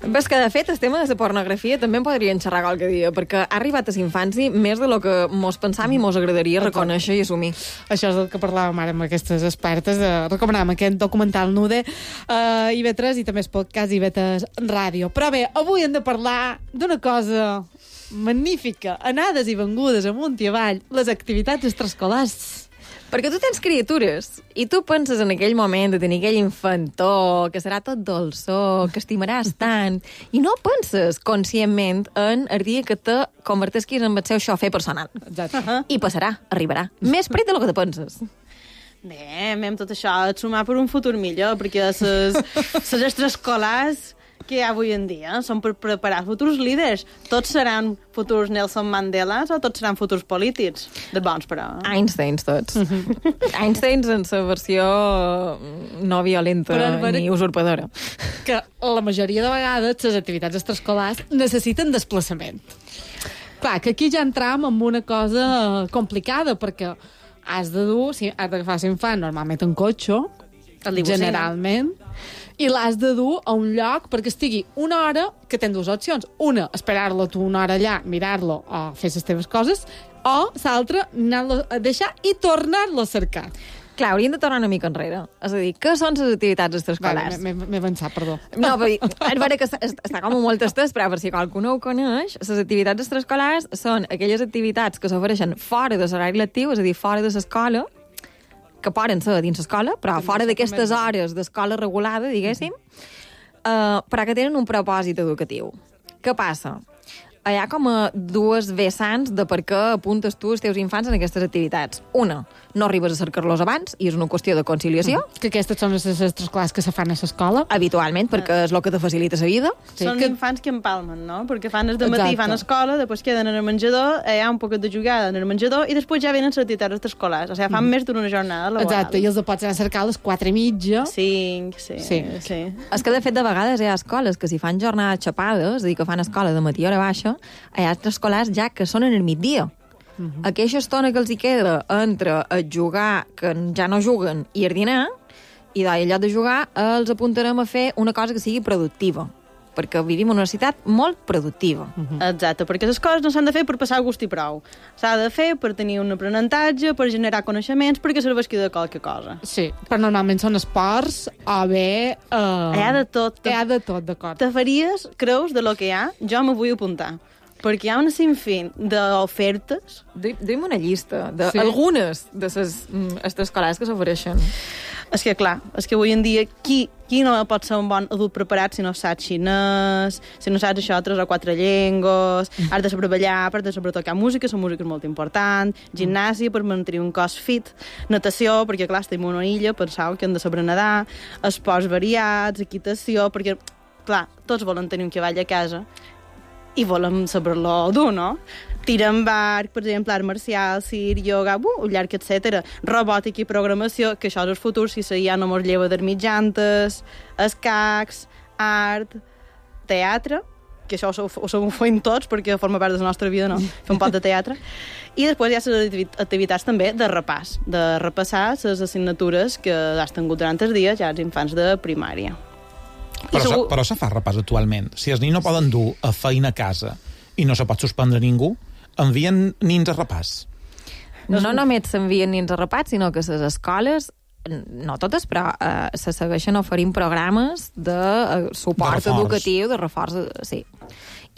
Speaker 21: Ves que, de fet, el tema de la pornografia també en podrien xerrar qualque dia, perquè ha arribat a l'infanci més de lo que mos pensam i mos agradaria reconèixer i assumir.
Speaker 1: Això és el que parlàvem ara amb aquestes expertes. Recomanàvem aquest documental Nude a IB3 i també es podcast IB3 Ràdio. Però bé, avui hem de parlar d'una cosa magnífica. Anades i vengudes amunt i avall, les activitats extraescolars.
Speaker 21: Perquè tu tens criatures i tu penses en aquell moment de tenir aquell infantó, que serà tot dolçó, que estimaràs tant, i no penses conscientment en el dia que te convertesquis en el seu xofer personal.
Speaker 1: Exacte.
Speaker 21: I passarà, arribarà. Més prit de lo que te penses.
Speaker 20: Bé, amb tot això et sumar per un futur millor, perquè les extraescolars que hi ha avui en dia són per preparar futurs líders. Tots seran futurs Nelson Mandelas o tots seran futurs polítics? De bons, però.
Speaker 21: Einsteins, tots. Einsteins en la versió no violenta ni usurpadora.
Speaker 1: Que la majoria de vegades les activitats extraescolars necessiten desplaçament. Clar, que aquí ja entram en una cosa complicada, perquè has de dur, has d'agafar l'infant normalment en cotxe, generalment, i l'has de dur a un lloc perquè estigui una hora, que tens dues opcions. Una, esperar-lo tu una hora allà, mirar-lo o fer les teves coses, o l'altra, anar-lo a deixar i tornar-lo a cercar.
Speaker 21: Clar, hauríem de tornar una mica enrere. És a dir, què són les activitats extraescolars?
Speaker 1: M'he avançat, perdó.
Speaker 21: No, però és vera que està com molt estès, però per si qualcú no ho coneix, les activitats extraescolars són aquelles activitats que s'ofereixen fora de l'horari lectiu, és a dir, fora de l'escola, que poden ser dins l'escola, però fora d'aquestes hores d'escola regulada, diguéssim, però que tenen un propòsit educatiu. Què passa? Hi ha com a dues vessants de per què apuntes tu els teus infants en aquestes activitats. Una, no arribes a cercar-los abans, i és una qüestió de conciliació.
Speaker 1: Que aquestes són les extraescolars que se fan a l'escola?
Speaker 21: Habitualment, perquè és el que te facilita la vida.
Speaker 20: Són infants que empalmen, no? Perquè fan el dematí, fan escola, després queden en el menjador, hi ha un poquet de jugada en el menjador, i després ja venen les activitats extraescolars. O sigui, fan més d'una jornada laboral.
Speaker 1: Exacte, i els pots anar a cercar a les 4:30.
Speaker 20: 5, sí.
Speaker 21: És que, de fet, de vegades hi ha escoles que si fan jornades xapades, és a dir, que fan escola de matí a hora baixa, hi ha extraescolars ja que són en el migdia. Aquella estona que els hi queda entre el jugar, que ja no juguen, i el dinar, i en lloc de jugar els apuntarem a fer una cosa que sigui productiva, perquè vivim en una ciutat molt productiva.
Speaker 20: Exacte, perquè les coses no s'han de fer per passar gust i prou. S'ha de fer per tenir un aprenentatge, per generar coneixements, perquè serveixi de qualque cosa.
Speaker 1: Sí, però normalment són esports o bé...
Speaker 20: Hi ha de tot.
Speaker 1: Hi ha de tot, d'acord.
Speaker 20: Te faries, creus, de lo que hi ha? Jo me vull apuntar. Perquè hi ha una sinfín d'ofertes.
Speaker 21: Duim una llista d'algunes de les extraescolars que s'ofereixen.
Speaker 20: És que, clar, és que avui en dia qui no pot ser un bon adult preparat si no saps xinès, si no saps això, 3 o 4 llengües, has de saber ballar, has de saber tocar música, la música és molt important, gimnàsia per mantenir un cos fit, natació, perquè, clar, estem en una illa, penseu que hem de saber nedar, esports variats, equitació, perquè, clar, tots volen tenir un cavall a casa, i volem saber-lo dur, no? Tir amb arc, per exemple, art marcial, circ, yoga, un llarg, etc. Robòtica i programació, que això és el futur, si ja no mos lleva de mitjantes, escacs, art, teatre, que això ho fem tots, perquè forma part de la nostra vida, no? Fer un pot de teatre. I després hi ha les activitats també de repàs, de repassar les assignatures que has tingut durant els dies ja els infants de primària.
Speaker 7: Però se fa repàs actualment. Si els nins no poden dur a feina a casa i no se pot suspendre ningú, envien nins a repàs.
Speaker 21: No només s'envien nins a repàs, sinó que les escoles no totes, però se segueixen oferint programes de suport educatiu, de reforç, sí.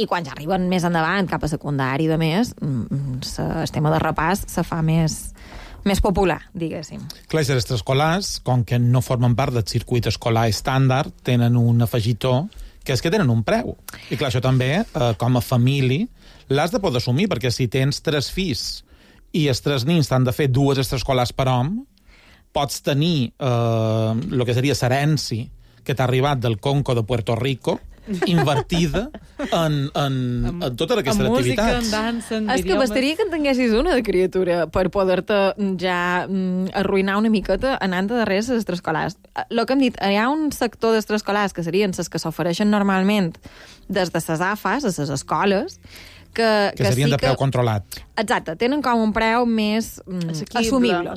Speaker 21: I quan ja arriben més endavant, cap a secundari i de més, el tema de repàs se fa més popular, diguéssim.
Speaker 7: Clar, els extraescolars, com que no formen part del circuit escolar estàndard, tenen un afegitó, que és que tenen un preu. I clar, això també, com a família, l'has de poder assumir, perquè si tens 3 fills i els 3 nins t'han de fer 2 extraescolars per home, pots tenir el que seria l'herència que t'ha arribat del Conco de Puerto Rico, invertida en totes aquestes activitats.
Speaker 1: En música, en dansa, en
Speaker 21: És que bastaria que en tinguessis una de criatura per poder-te ja arruïnar una miqueta anant darrere les extraescolars. El que hem dit, hi ha un sector d'extraescolars que serien les que s'ofereixen normalment des de les AFAs, a les escoles, que
Speaker 7: serien
Speaker 21: sí
Speaker 7: de preu controlat.
Speaker 21: Exacte, tenen com un preu més assumible.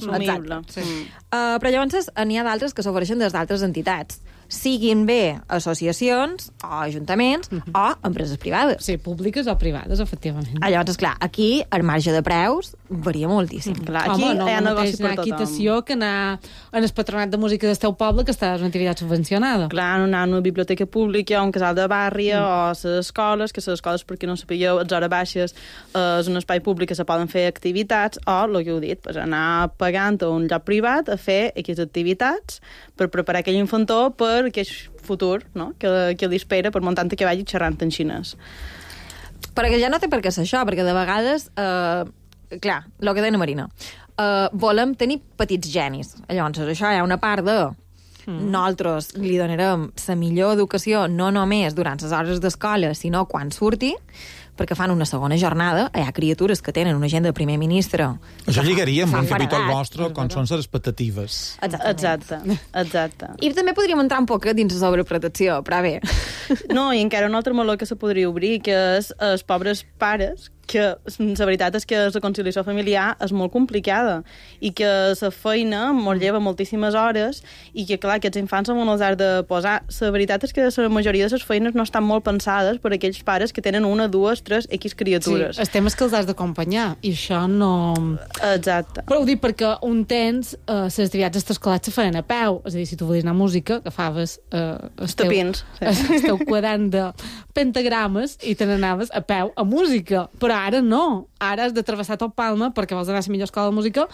Speaker 21: Sí. Però llavors n'hi ha d'altres que s'ofereixen des d'altres entitats, siguin bé associacions o ajuntaments o empreses privades.
Speaker 1: Sí, públiques o privades, efectivament.
Speaker 21: Llavors, esclar, aquí el marge de preus varia moltíssim.
Speaker 20: Clar, aquí hi ha negoci per tothom.
Speaker 1: Equitació que anar en el patronat de música del teu poble, que està en una activitat subvencionada.
Speaker 20: Clar, anar a una biblioteca pública o un casal de barri o a les escoles, que les escoles, perquè no sapigueu, a les hores baixes és un espai públic que se poden fer activitats, o, el que heu dit, pues, anar pagant a un lloc privat a fer aquestes activitats per preparar aquell infantó per aquest futur, no?, que li espera per muntant que vagi xerrant en xinès.
Speaker 21: Perquè ja no té per què ser això, perquè de vegades, clar, el que deia Marina, volem tenir petits genis. Llavors, això hi ha una part de nosaltres li donarem la millor educació no només durant les hores d'escola, sinó quan surti, perquè fan una segona jornada, hi ha criatures que tenen una agenda de primer ministre.
Speaker 7: Això lligaria amb un capítol vostre, com són les expectatives.
Speaker 20: Exacte.
Speaker 21: I també podríem entrar un poc dins la sobreprotecció, però bé.
Speaker 20: No, i encara un altre meló que se podria obrir, que és els pobres pares, que la veritat és que la conciliació familiar és molt complicada i que la feina molt lleva moltíssimes hores i que, clar, aquests infants on els has de posar. La veritat és que la majoria de les feines no estan molt pensades per aquells pares que tenen 1, 2, 3 X criatures.
Speaker 1: Sí, el tema és que els has d'acompanyar i això no...
Speaker 20: Exacte.
Speaker 1: Però ho dic perquè un temps les activitats extraescolars se feien a peu, és a dir, si tu volies anar a música, agafaves el teu quadernt de pentagrames i te n'anaves a peu a música, però ara no. Ara has de travessar tot Palma perquè vols anar a la millor escola de música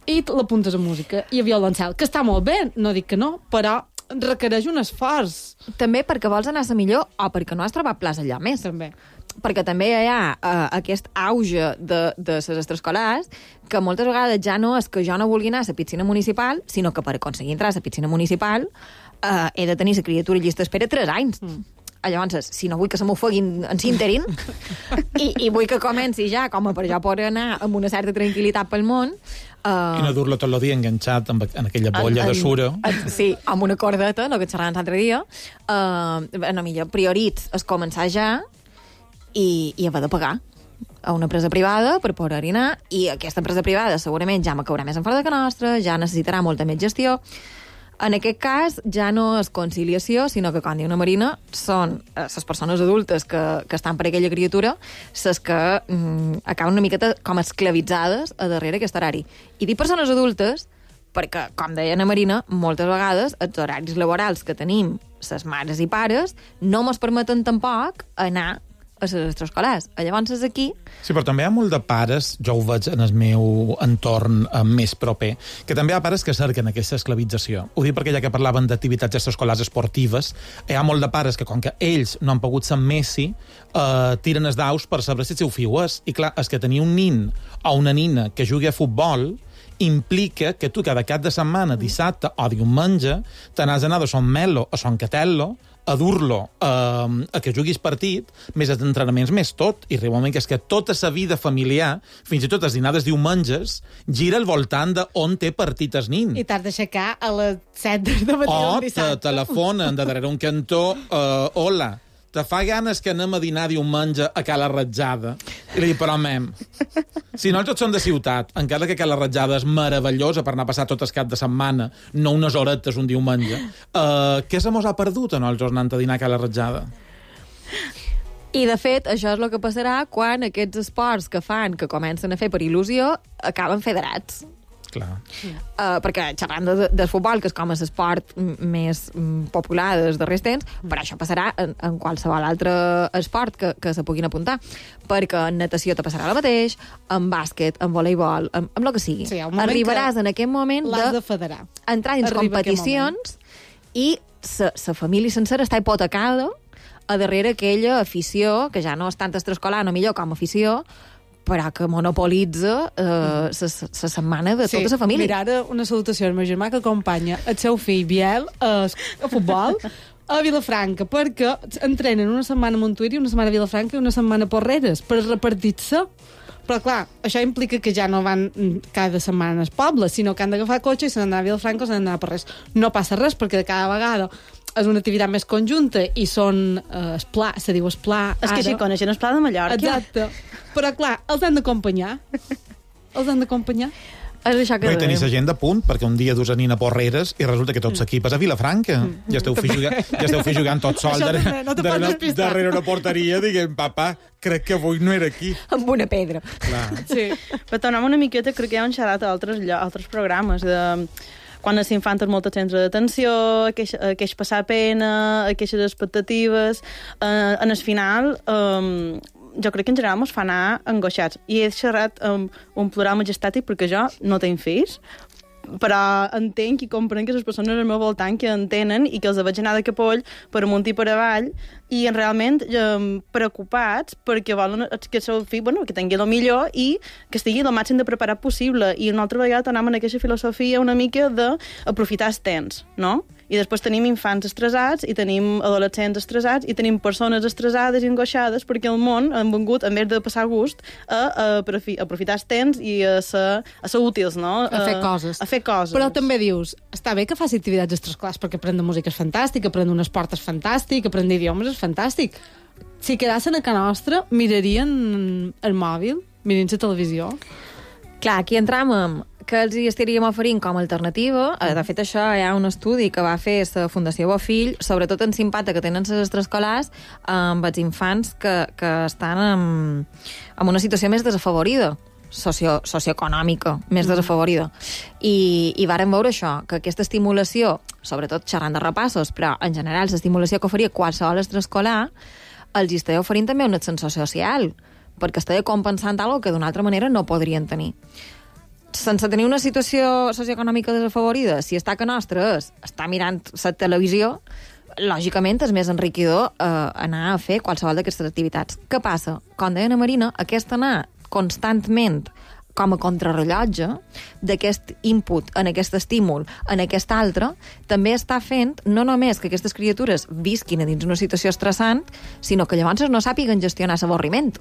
Speaker 1: i l'apuntes a música i a violoncel, que està molt bé, no dic que no, però requereix un esforç.
Speaker 21: També perquè vols anar a la millor o perquè no has trobat plaça allà més.
Speaker 1: També.
Speaker 21: Perquè també hi ha aquest auge de les extraescolars que moltes vegades ja no és que jo no vulgui anar a la piscina municipal, sinó que per aconseguir entrar a la piscina municipal he de tenir la criatura llista d'espera 3 anys. Llavors, si no vull que se m'ofeguin en s'interin i vull que comenci ja com a per jo poder anar amb una certa tranquil·litat pel món,
Speaker 7: i no dur-lo tot el dia enganxat en aquella bolla de sura.
Speaker 21: Sí, amb una cordeta, el que xerràvem l'altre dia. No, millor prioritz és començar ja i haver de pagar a una empresa privada per poder-hi anar, i aquesta empresa privada segurament ja m'acabarà més en fora que nostra, ja necessitarà molta més gestió. En aquest cas, ja no és conciliació, sinó que, com diu una Marina, són les persones adultes que estan per aquella criatura les que acaben una miqueta com esclavitzades a darrere aquest horari. I dic persones adultes perquè, com deia Ana Marina, moltes vegades els horaris laborals que tenim les mares i pares no mos permeten tampoc anar a les extraescolars. Llavors és aquí...
Speaker 7: Sí, però també hi ha molt de pares, jo ho veig en el meu entorn més proper, que també hi ha pares que cerquen aquesta esclavització. Ho dic perquè ja que parlaven d'activitats extraescolars esportives, hi ha molt de pares que, com que ells no han pogut ser Messi, tiren els daus per saber si el seu fill és. I clar, és que tenir un nin o una nina que jugui a futbol implica que tu cada cap de setmana, dissabte o diumenge, te n'has d'anar de Son Melo a Son Catello a dur-lo a que juguis partit, més els entrenaments, més tot. I arriba un moment que és que tota la vida familiar, fins i tot els dinars diumenges, gira al voltant d'on té partit el nin.
Speaker 1: I t'has d'aixecar a les 7 del matí del dissabte.
Speaker 7: O te telefonen de darrere un cantó, hola, te fa ganes que anem a dinar diumenge a Cala Ratjada? I li dic, però, mem, si no tots són de ciutat, encara que Cala Ratjada és meravellosa per anar a passar tot el cap de setmana, no unes horetes un diumenge, què se mos ha perdut a nosaltres anant a dinar a Cala Ratjada?
Speaker 21: I, de fet, això és el que passarà quan aquests esports que fan, que comencen a fer per il·lusió, acaben federats.
Speaker 7: Clar.
Speaker 21: Perquè xerrant del futbol, que és com l'esport més popular dels darrers temps, però això passarà en qualsevol altre esport que se puguin apuntar. Perquè en natació te passarà el mateix, en bàsquet, en voleibol, amb el que sigui.
Speaker 1: Sí,
Speaker 21: arribaràs en aquest moment
Speaker 1: de federar.
Speaker 21: Entrar dins competicions i la família sencera està hipotecada a darrere aquella afició, que ja no és tant extraescolar, no millor com a afició, però que monopolitza la setmana de tota la família.
Speaker 1: Mira, ara una salutació al meu germà que acompanya el seu fill Biel a futbol a Vilafranca, perquè entrenen una setmana a Montuïri, una setmana a Vilafranca i una setmana a Porreres, per repartir-se. Però, clar, això implica que ja no van cada setmana al poble, sinó que han d'agafar cotxe i se n'han d'anar a Vilafranca o se n'han d'anar a Porreres. No passa res, perquè cada vegada és una activitat més conjunta i són esplà, se diu esplà.
Speaker 20: És que així coneixen esplà de Mallorca.
Speaker 1: Exacte. Però, clar, els han d'acompanyar.
Speaker 21: És això que
Speaker 7: no hi tenis gent de punt, perquè un dia dus a Nina Porreres i resulta que tots s'equipes a Vilafranca. Ja esteu jugant tot sol darrere una porteria, diguem, papa, crec que avui no era aquí.
Speaker 21: Amb una pedra.
Speaker 7: Clar.
Speaker 20: Sí. Però tornem una miqueta, crec que ja hem xerrat a altres programes de quan els infants tenen molta centre d'atenció, queix passar pena, queixes expectatives. En el final, jo crec que en general ens fa anar angoixats. I he xerrat amb un plural majestàtic perquè jo no tinc fills, però entenc i comprenc que les persones al meu voltant que entenen i que els veig anar de capoll per amunt i per avall i realment preocupats perquè volen que el seu fill, que tingui el millor i que estigui el màxim de preparat possible. I una altra vegada tornem en aquesta filosofia una mica d'aprofitar el temps, no? I després tenim infants estressats i tenim adolescents estressats i tenim persones estressades i angoixades perquè el món han vengut, en vez de passar gust, a aprofitar el temps i a ser útils, no?
Speaker 1: A fer coses.
Speaker 20: A fer coses.
Speaker 1: Però també dius, està bé que faci activitats extraescolars perquè aprendre música és fantàstic, aprendre un esport és fantàstic, aprendre idiomes és fantàstic. Si quedassen a casa nostra, mirarien el mòbil, mirarien la televisió.
Speaker 21: Clar, aquí entram amb que els hi estaríem oferint com a alternativa. De fet, això hi ha un estudi que va fer la Fundació Bofill, sobretot en l'impacte que tenen les extraescolars amb els infants que estan en una situació més desafavorida, socioeconòmica, més desafavorida. I vàrem veure això, que aquesta estimulació, sobretot xerrant de repassos, però en general l'estimulació que oferia qualsevol extraescolar, els hi estava oferint també un ascensor social, perquè estava compensant alguna que d'una altra manera no podrien tenir. Sense tenir una situació socioeconòmica desafavorida, si està que nostra està mirant la televisió, lògicament és més enriquidor anar a fer qualsevol d'aquestes activitats. Què passa? Com deia Ana Marina, aquest anar constantment com a contrarrellotge d'aquest input, en aquest estímul, en aquest altre, també està fent no només que aquestes criatures visquin a dins una situació estressant, sinó que llavors no sàpiguen gestionar l'avorriment.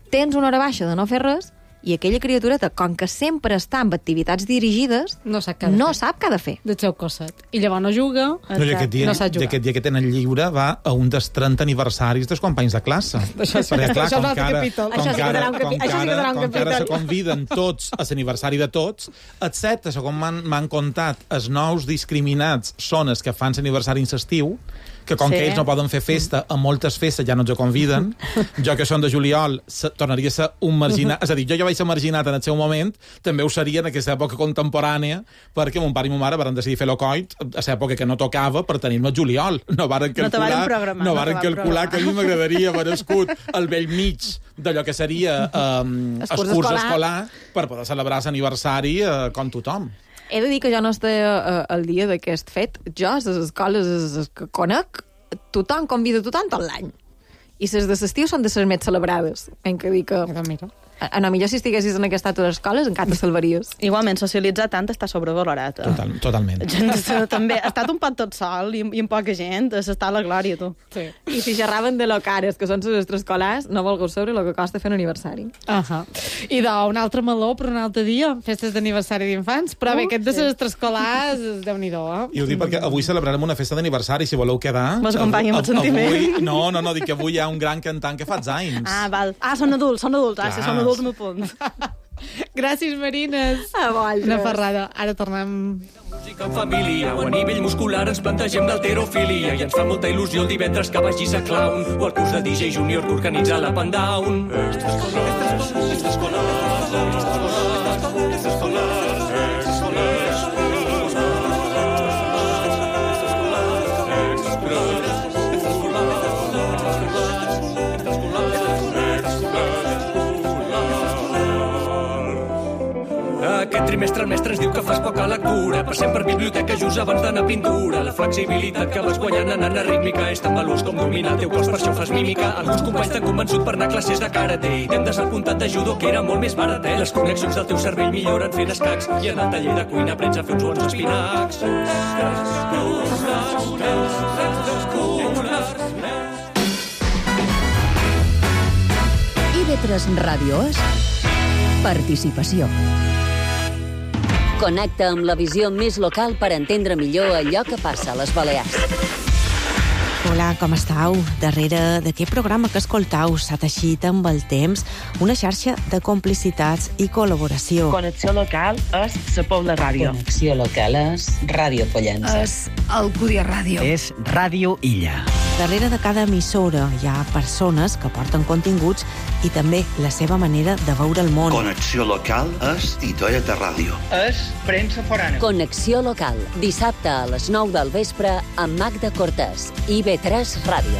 Speaker 21: Tens una hora baixa de no fer res i aquella criatureta, com que sempre està amb activitats dirigides,
Speaker 1: no sap
Speaker 21: què ha de fer.
Speaker 1: Del seu cosset. I llavors no juga,
Speaker 7: no sap jugar. I aquest dia que tenen lliure va a un dels 30 aniversaris dels companys de classe.
Speaker 1: Això sí,
Speaker 7: perquè, clar,
Speaker 1: això és un altre capítol.
Speaker 7: Això sí que encara se conviden tots a l'aniversari de tots, excepte, segons m'han contat, els nous discriminats són els que fan l'aniversari en l'estiu, que com que ells no poden fer festa, a moltes festes ja no ens conviden. Jo, que són de juliol, tornaria a ser un marginat. És a dir, jo ja vaig ser marginat en el seu moment, també ho seria en aquesta època contemporània, perquè mon pare i ma mare van decidir fer l'ocoit a l'època que no tocava per tenir-me el juliol. No varen calcular que a mi m'agradaria haver nascut al vell mig d'allò que seria el curs escolar per poder celebrar l'aniversari com tothom.
Speaker 21: He de dir que jo no estic al dia d'aquest fet. Jo, a les escoles que conec, tothom convida tothom tot l'any. I les de l'estiu són de les més celebrades. Hem que dir que... A no, millor si estiguessis en aquest estat de les escoles encara te salvaries.
Speaker 20: Igualment, socialitzar tant està sobrevalorat.
Speaker 7: Totalment.
Speaker 20: També ha estat un pot tot sol i amb poca gent, s'està a la glòria, tu.
Speaker 21: Sí. I si xerraven de lo cares, que són les extraescolars, no volgueu saber el que costa fer un aniversari.
Speaker 1: I un altre meló per un altre dia, festes d'aniversari d'infants, però bé, aquest de les extraescolars, Déu-n'hi-do,
Speaker 7: I ho dic perquè avui celebrarem una festa d'aniversari, si voleu quedar.
Speaker 20: Mos acompanya amb el sentiment.
Speaker 7: No, dic que avui hi ha un gran cantant que fa anys.
Speaker 20: Val. Són adults. Són adults m'ho punt.
Speaker 1: Gràcies, Marines.
Speaker 21: Una
Speaker 1: ferrada. Ara tornem...
Speaker 16: Música en família o a nivell muscular ens plantegem l'alterofilia i ens fa molta il·lusió el divendres que vagis a Clown o al curs de DJ Junior que organitza la Pandown. Extraescolars. Aquest trimestre el mestre ens diu que fas poca lectura. Passem per biblioteca just abans d'anar a pintura. La flexibilitat que vas guanyant anant a rítmica és tan veloç com dominar el teu cos, per això fas mímica. Alguns companys t'han convençut per anar a classes de karate i t'hem desapuntat de judo, que era molt més barat, Les connexions del teu cervell milloren fent escacs i en el taller de cuina aprens a fer uns bons espinacs.
Speaker 2: IB3 Ràdio és participació. Connecta amb la visió més local per entendre millor allò que passa a les Balears.
Speaker 3: Hola, com estàu? Darrere d'aquest programa que escoltau s'ha teixit amb el temps una xarxa de complicitats i col·laboració.
Speaker 22: Connexió local és la Pobla Ràdio.
Speaker 23: Connexió local és Ràdio Pollença.
Speaker 3: És Alcúdia Ràdio.
Speaker 23: És Ràdio Illa.
Speaker 3: Darrere de cada emissora hi ha persones que porten continguts i també la seva manera de veure el món.
Speaker 24: Connexió local és Titoia de Ràdio.
Speaker 23: És premsa forana.
Speaker 2: Connexió local, dissabte a les 9 del vespre amb Magda Cortés, IB3 Ràdio.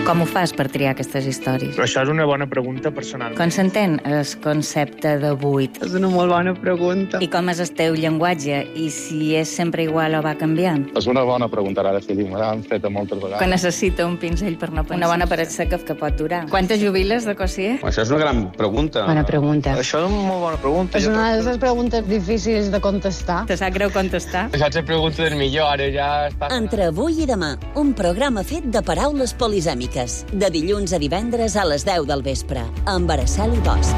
Speaker 25: Com ho fas per triar aquestes històries?
Speaker 26: Però això és una bona pregunta personal.
Speaker 25: Com s'entén el concepte de buit?
Speaker 20: És una molt bona pregunta.
Speaker 25: I com és el teu llenguatge? I si és sempre igual o va canviant?
Speaker 6: És una bona pregunta, ara sí, me l'han fet moltes vegades.
Speaker 25: Que necessita un pinzell per no pensar. Una bona paret seca que pot durar. Quantes jubiles de cosier?
Speaker 6: Això és una gran pregunta.
Speaker 25: Bona pregunta.
Speaker 26: Això és una molt bona pregunta.
Speaker 27: És una d'aquestes preguntes difícils de contestar.
Speaker 25: Te sap greu contestar?
Speaker 26: Això és la pregunta del millor, ara ja està...
Speaker 2: Entre avui i demà, un programa fet de paraules polisèmiques. De dilluns a divendres a les 10 del vespre, amb Araceli Bosch.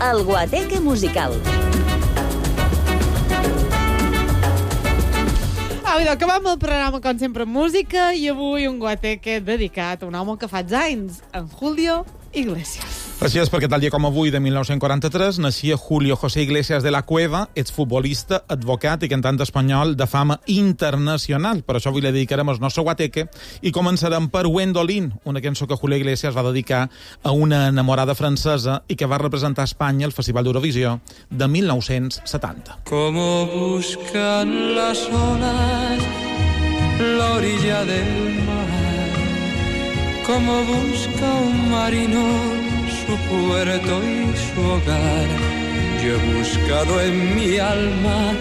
Speaker 2: El Guateque musical.
Speaker 1: Acabem el programa, com sempre, amb música, i avui un guateque dedicat a un home que fa anys, en Julio Iglesias.
Speaker 7: Així és, perquè tal dia com avui, de 1943, naixia Julio José Iglesias de la Cueva, exfutbolista, advocat i cantant espanyol de fama internacional. Per això avui li dedicarem el nostre guateque i començarem per Wendolin, una cançó que Julio Iglesias va dedicar a una enamorada francesa i que va representar a Espanya al Festival d'Eurovisió de 1970.
Speaker 12: Como buscan las olas la orilla del mar, como busca un marino su puerto y su hogar. Yo he buscado en mi alma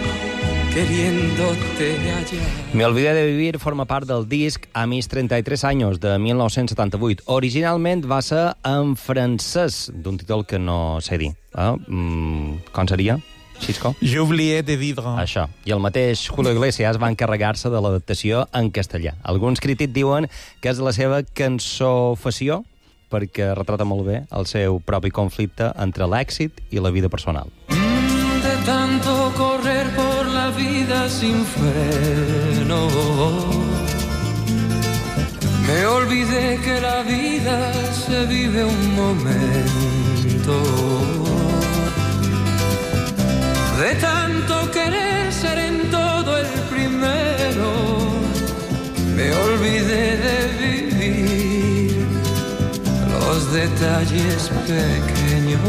Speaker 12: queriéndote hallar.
Speaker 13: Me olvidé de vivir forma part del disc A mis 33 años, de 1978. Originalment va ser en francès, d'un títol que no sé dir. Com seria? Xisco?
Speaker 7: J'oublié de vivre.
Speaker 13: Això. I el mateix Julio Iglesias va encarregar-se de l'adaptació en castellà. Alguns crítics diuen que és la seva cançó-fació, perquè retrata molt bé el seu propi conflicte entre l'èxit i la vida personal.
Speaker 12: De tanto correr por la vida sin freno, me olvidé que la vida se vive un momento. De tanto querer ser en todo el primero, me olvidé de vivir los detalles pequeños.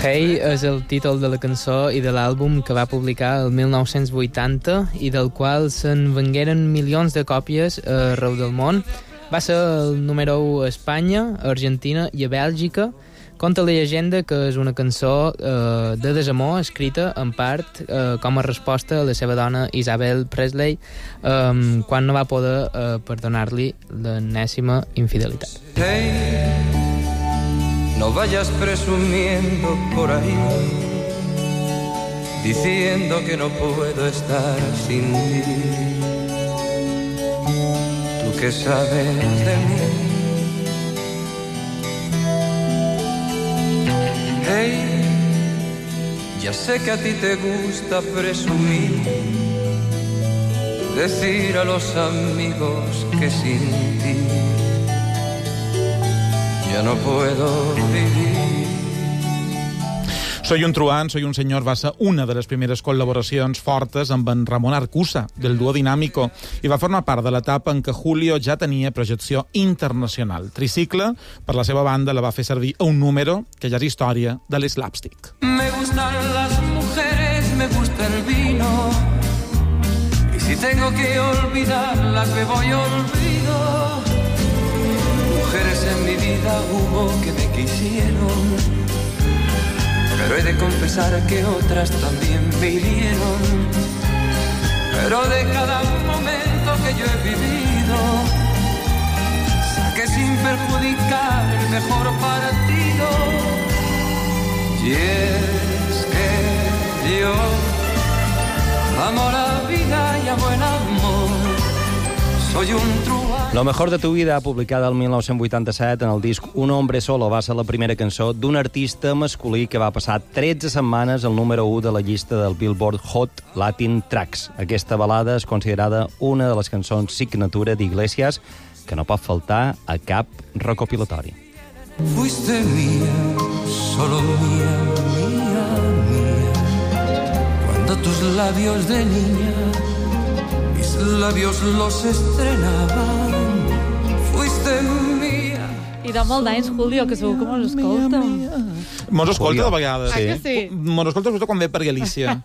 Speaker 10: Hey és el títol de la cançó i de l'àlbum que va publicar el 1980 i del qual se'n vengueren milions de còpies arreu del món. Va ser el número 1 a Espanya, a Argentina i a Bèlgica. Conta la llegenda que és una cançó de desamor escrita en part com a resposta a la seva dona Isabel Presley quan no va poder perdonar-li l'enèsima infidelitat.
Speaker 12: Hey, no vayas presumiendo por ahí, diciendo que no puedo estar sin ti. Tú que sabes de mí. Hey, ya sé que a ti te gusta presumir, decir a los amigos que sin ti ya no puedo vivir.
Speaker 7: Soy un truán, soy un senyor va ser una de les primeres col·laboracions fortes amb en Ramon Arcusa, del duo Dinámico, i va formar part de l'etapa en què Julio ja tenia projecció internacional. Tricicle, per la seva banda, la va fer servir a un número que ja és història de l'slapstick.
Speaker 12: Me gustan las mujeres, me gusta el vino, y Si tengo que olvidarlas, me voy olvido. Mujeres en mi vida hubo que me quisieron, pero he de confesar que otras también me hirieron. Pero de cada momento que yo he vivido, saqué sin perjudicar el mejor partido. Y es que yo amo la vida y amo el amor. Soy un truán.
Speaker 13: Lo mejor de tu vida, publicada el 1987 en el disc Un hombre solo, va ser la primera cançó d'un artista masculí que va passar 13 setmanes al número 1 de la llista del Billboard Hot Latin Tracks. Aquesta balada és considerada una de les cançons signatura d'Iglesias que no pot faltar a cap recopilatori.
Speaker 12: Fuiste mía, solo mía, mía, mía. Cuando tus labios de niña, mis labios los estrenaban. Fuiste mía.
Speaker 1: I de molt d'anys, Julio, que segur que mos escolta.
Speaker 7: Mos escolta de vegades.
Speaker 1: Ah, que sí?
Speaker 7: Mos escolta sobretot quan ve per Galícia.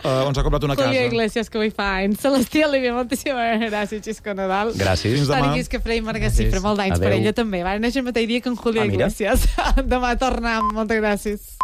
Speaker 7: On s'ha comprat una casa.
Speaker 1: Julio Iglesias, que avui fa anys. Celestí Olivia, moltíssimes gràcies, Xisco Nadal.
Speaker 13: Gràcies.
Speaker 7: Fins demà.
Speaker 1: Toni Quisquefré i Marga Cifra, molt d'anys per ella també. Va néixer el mateix dia que en Julio Iglesias. Demà tornem. Moltes gràcies.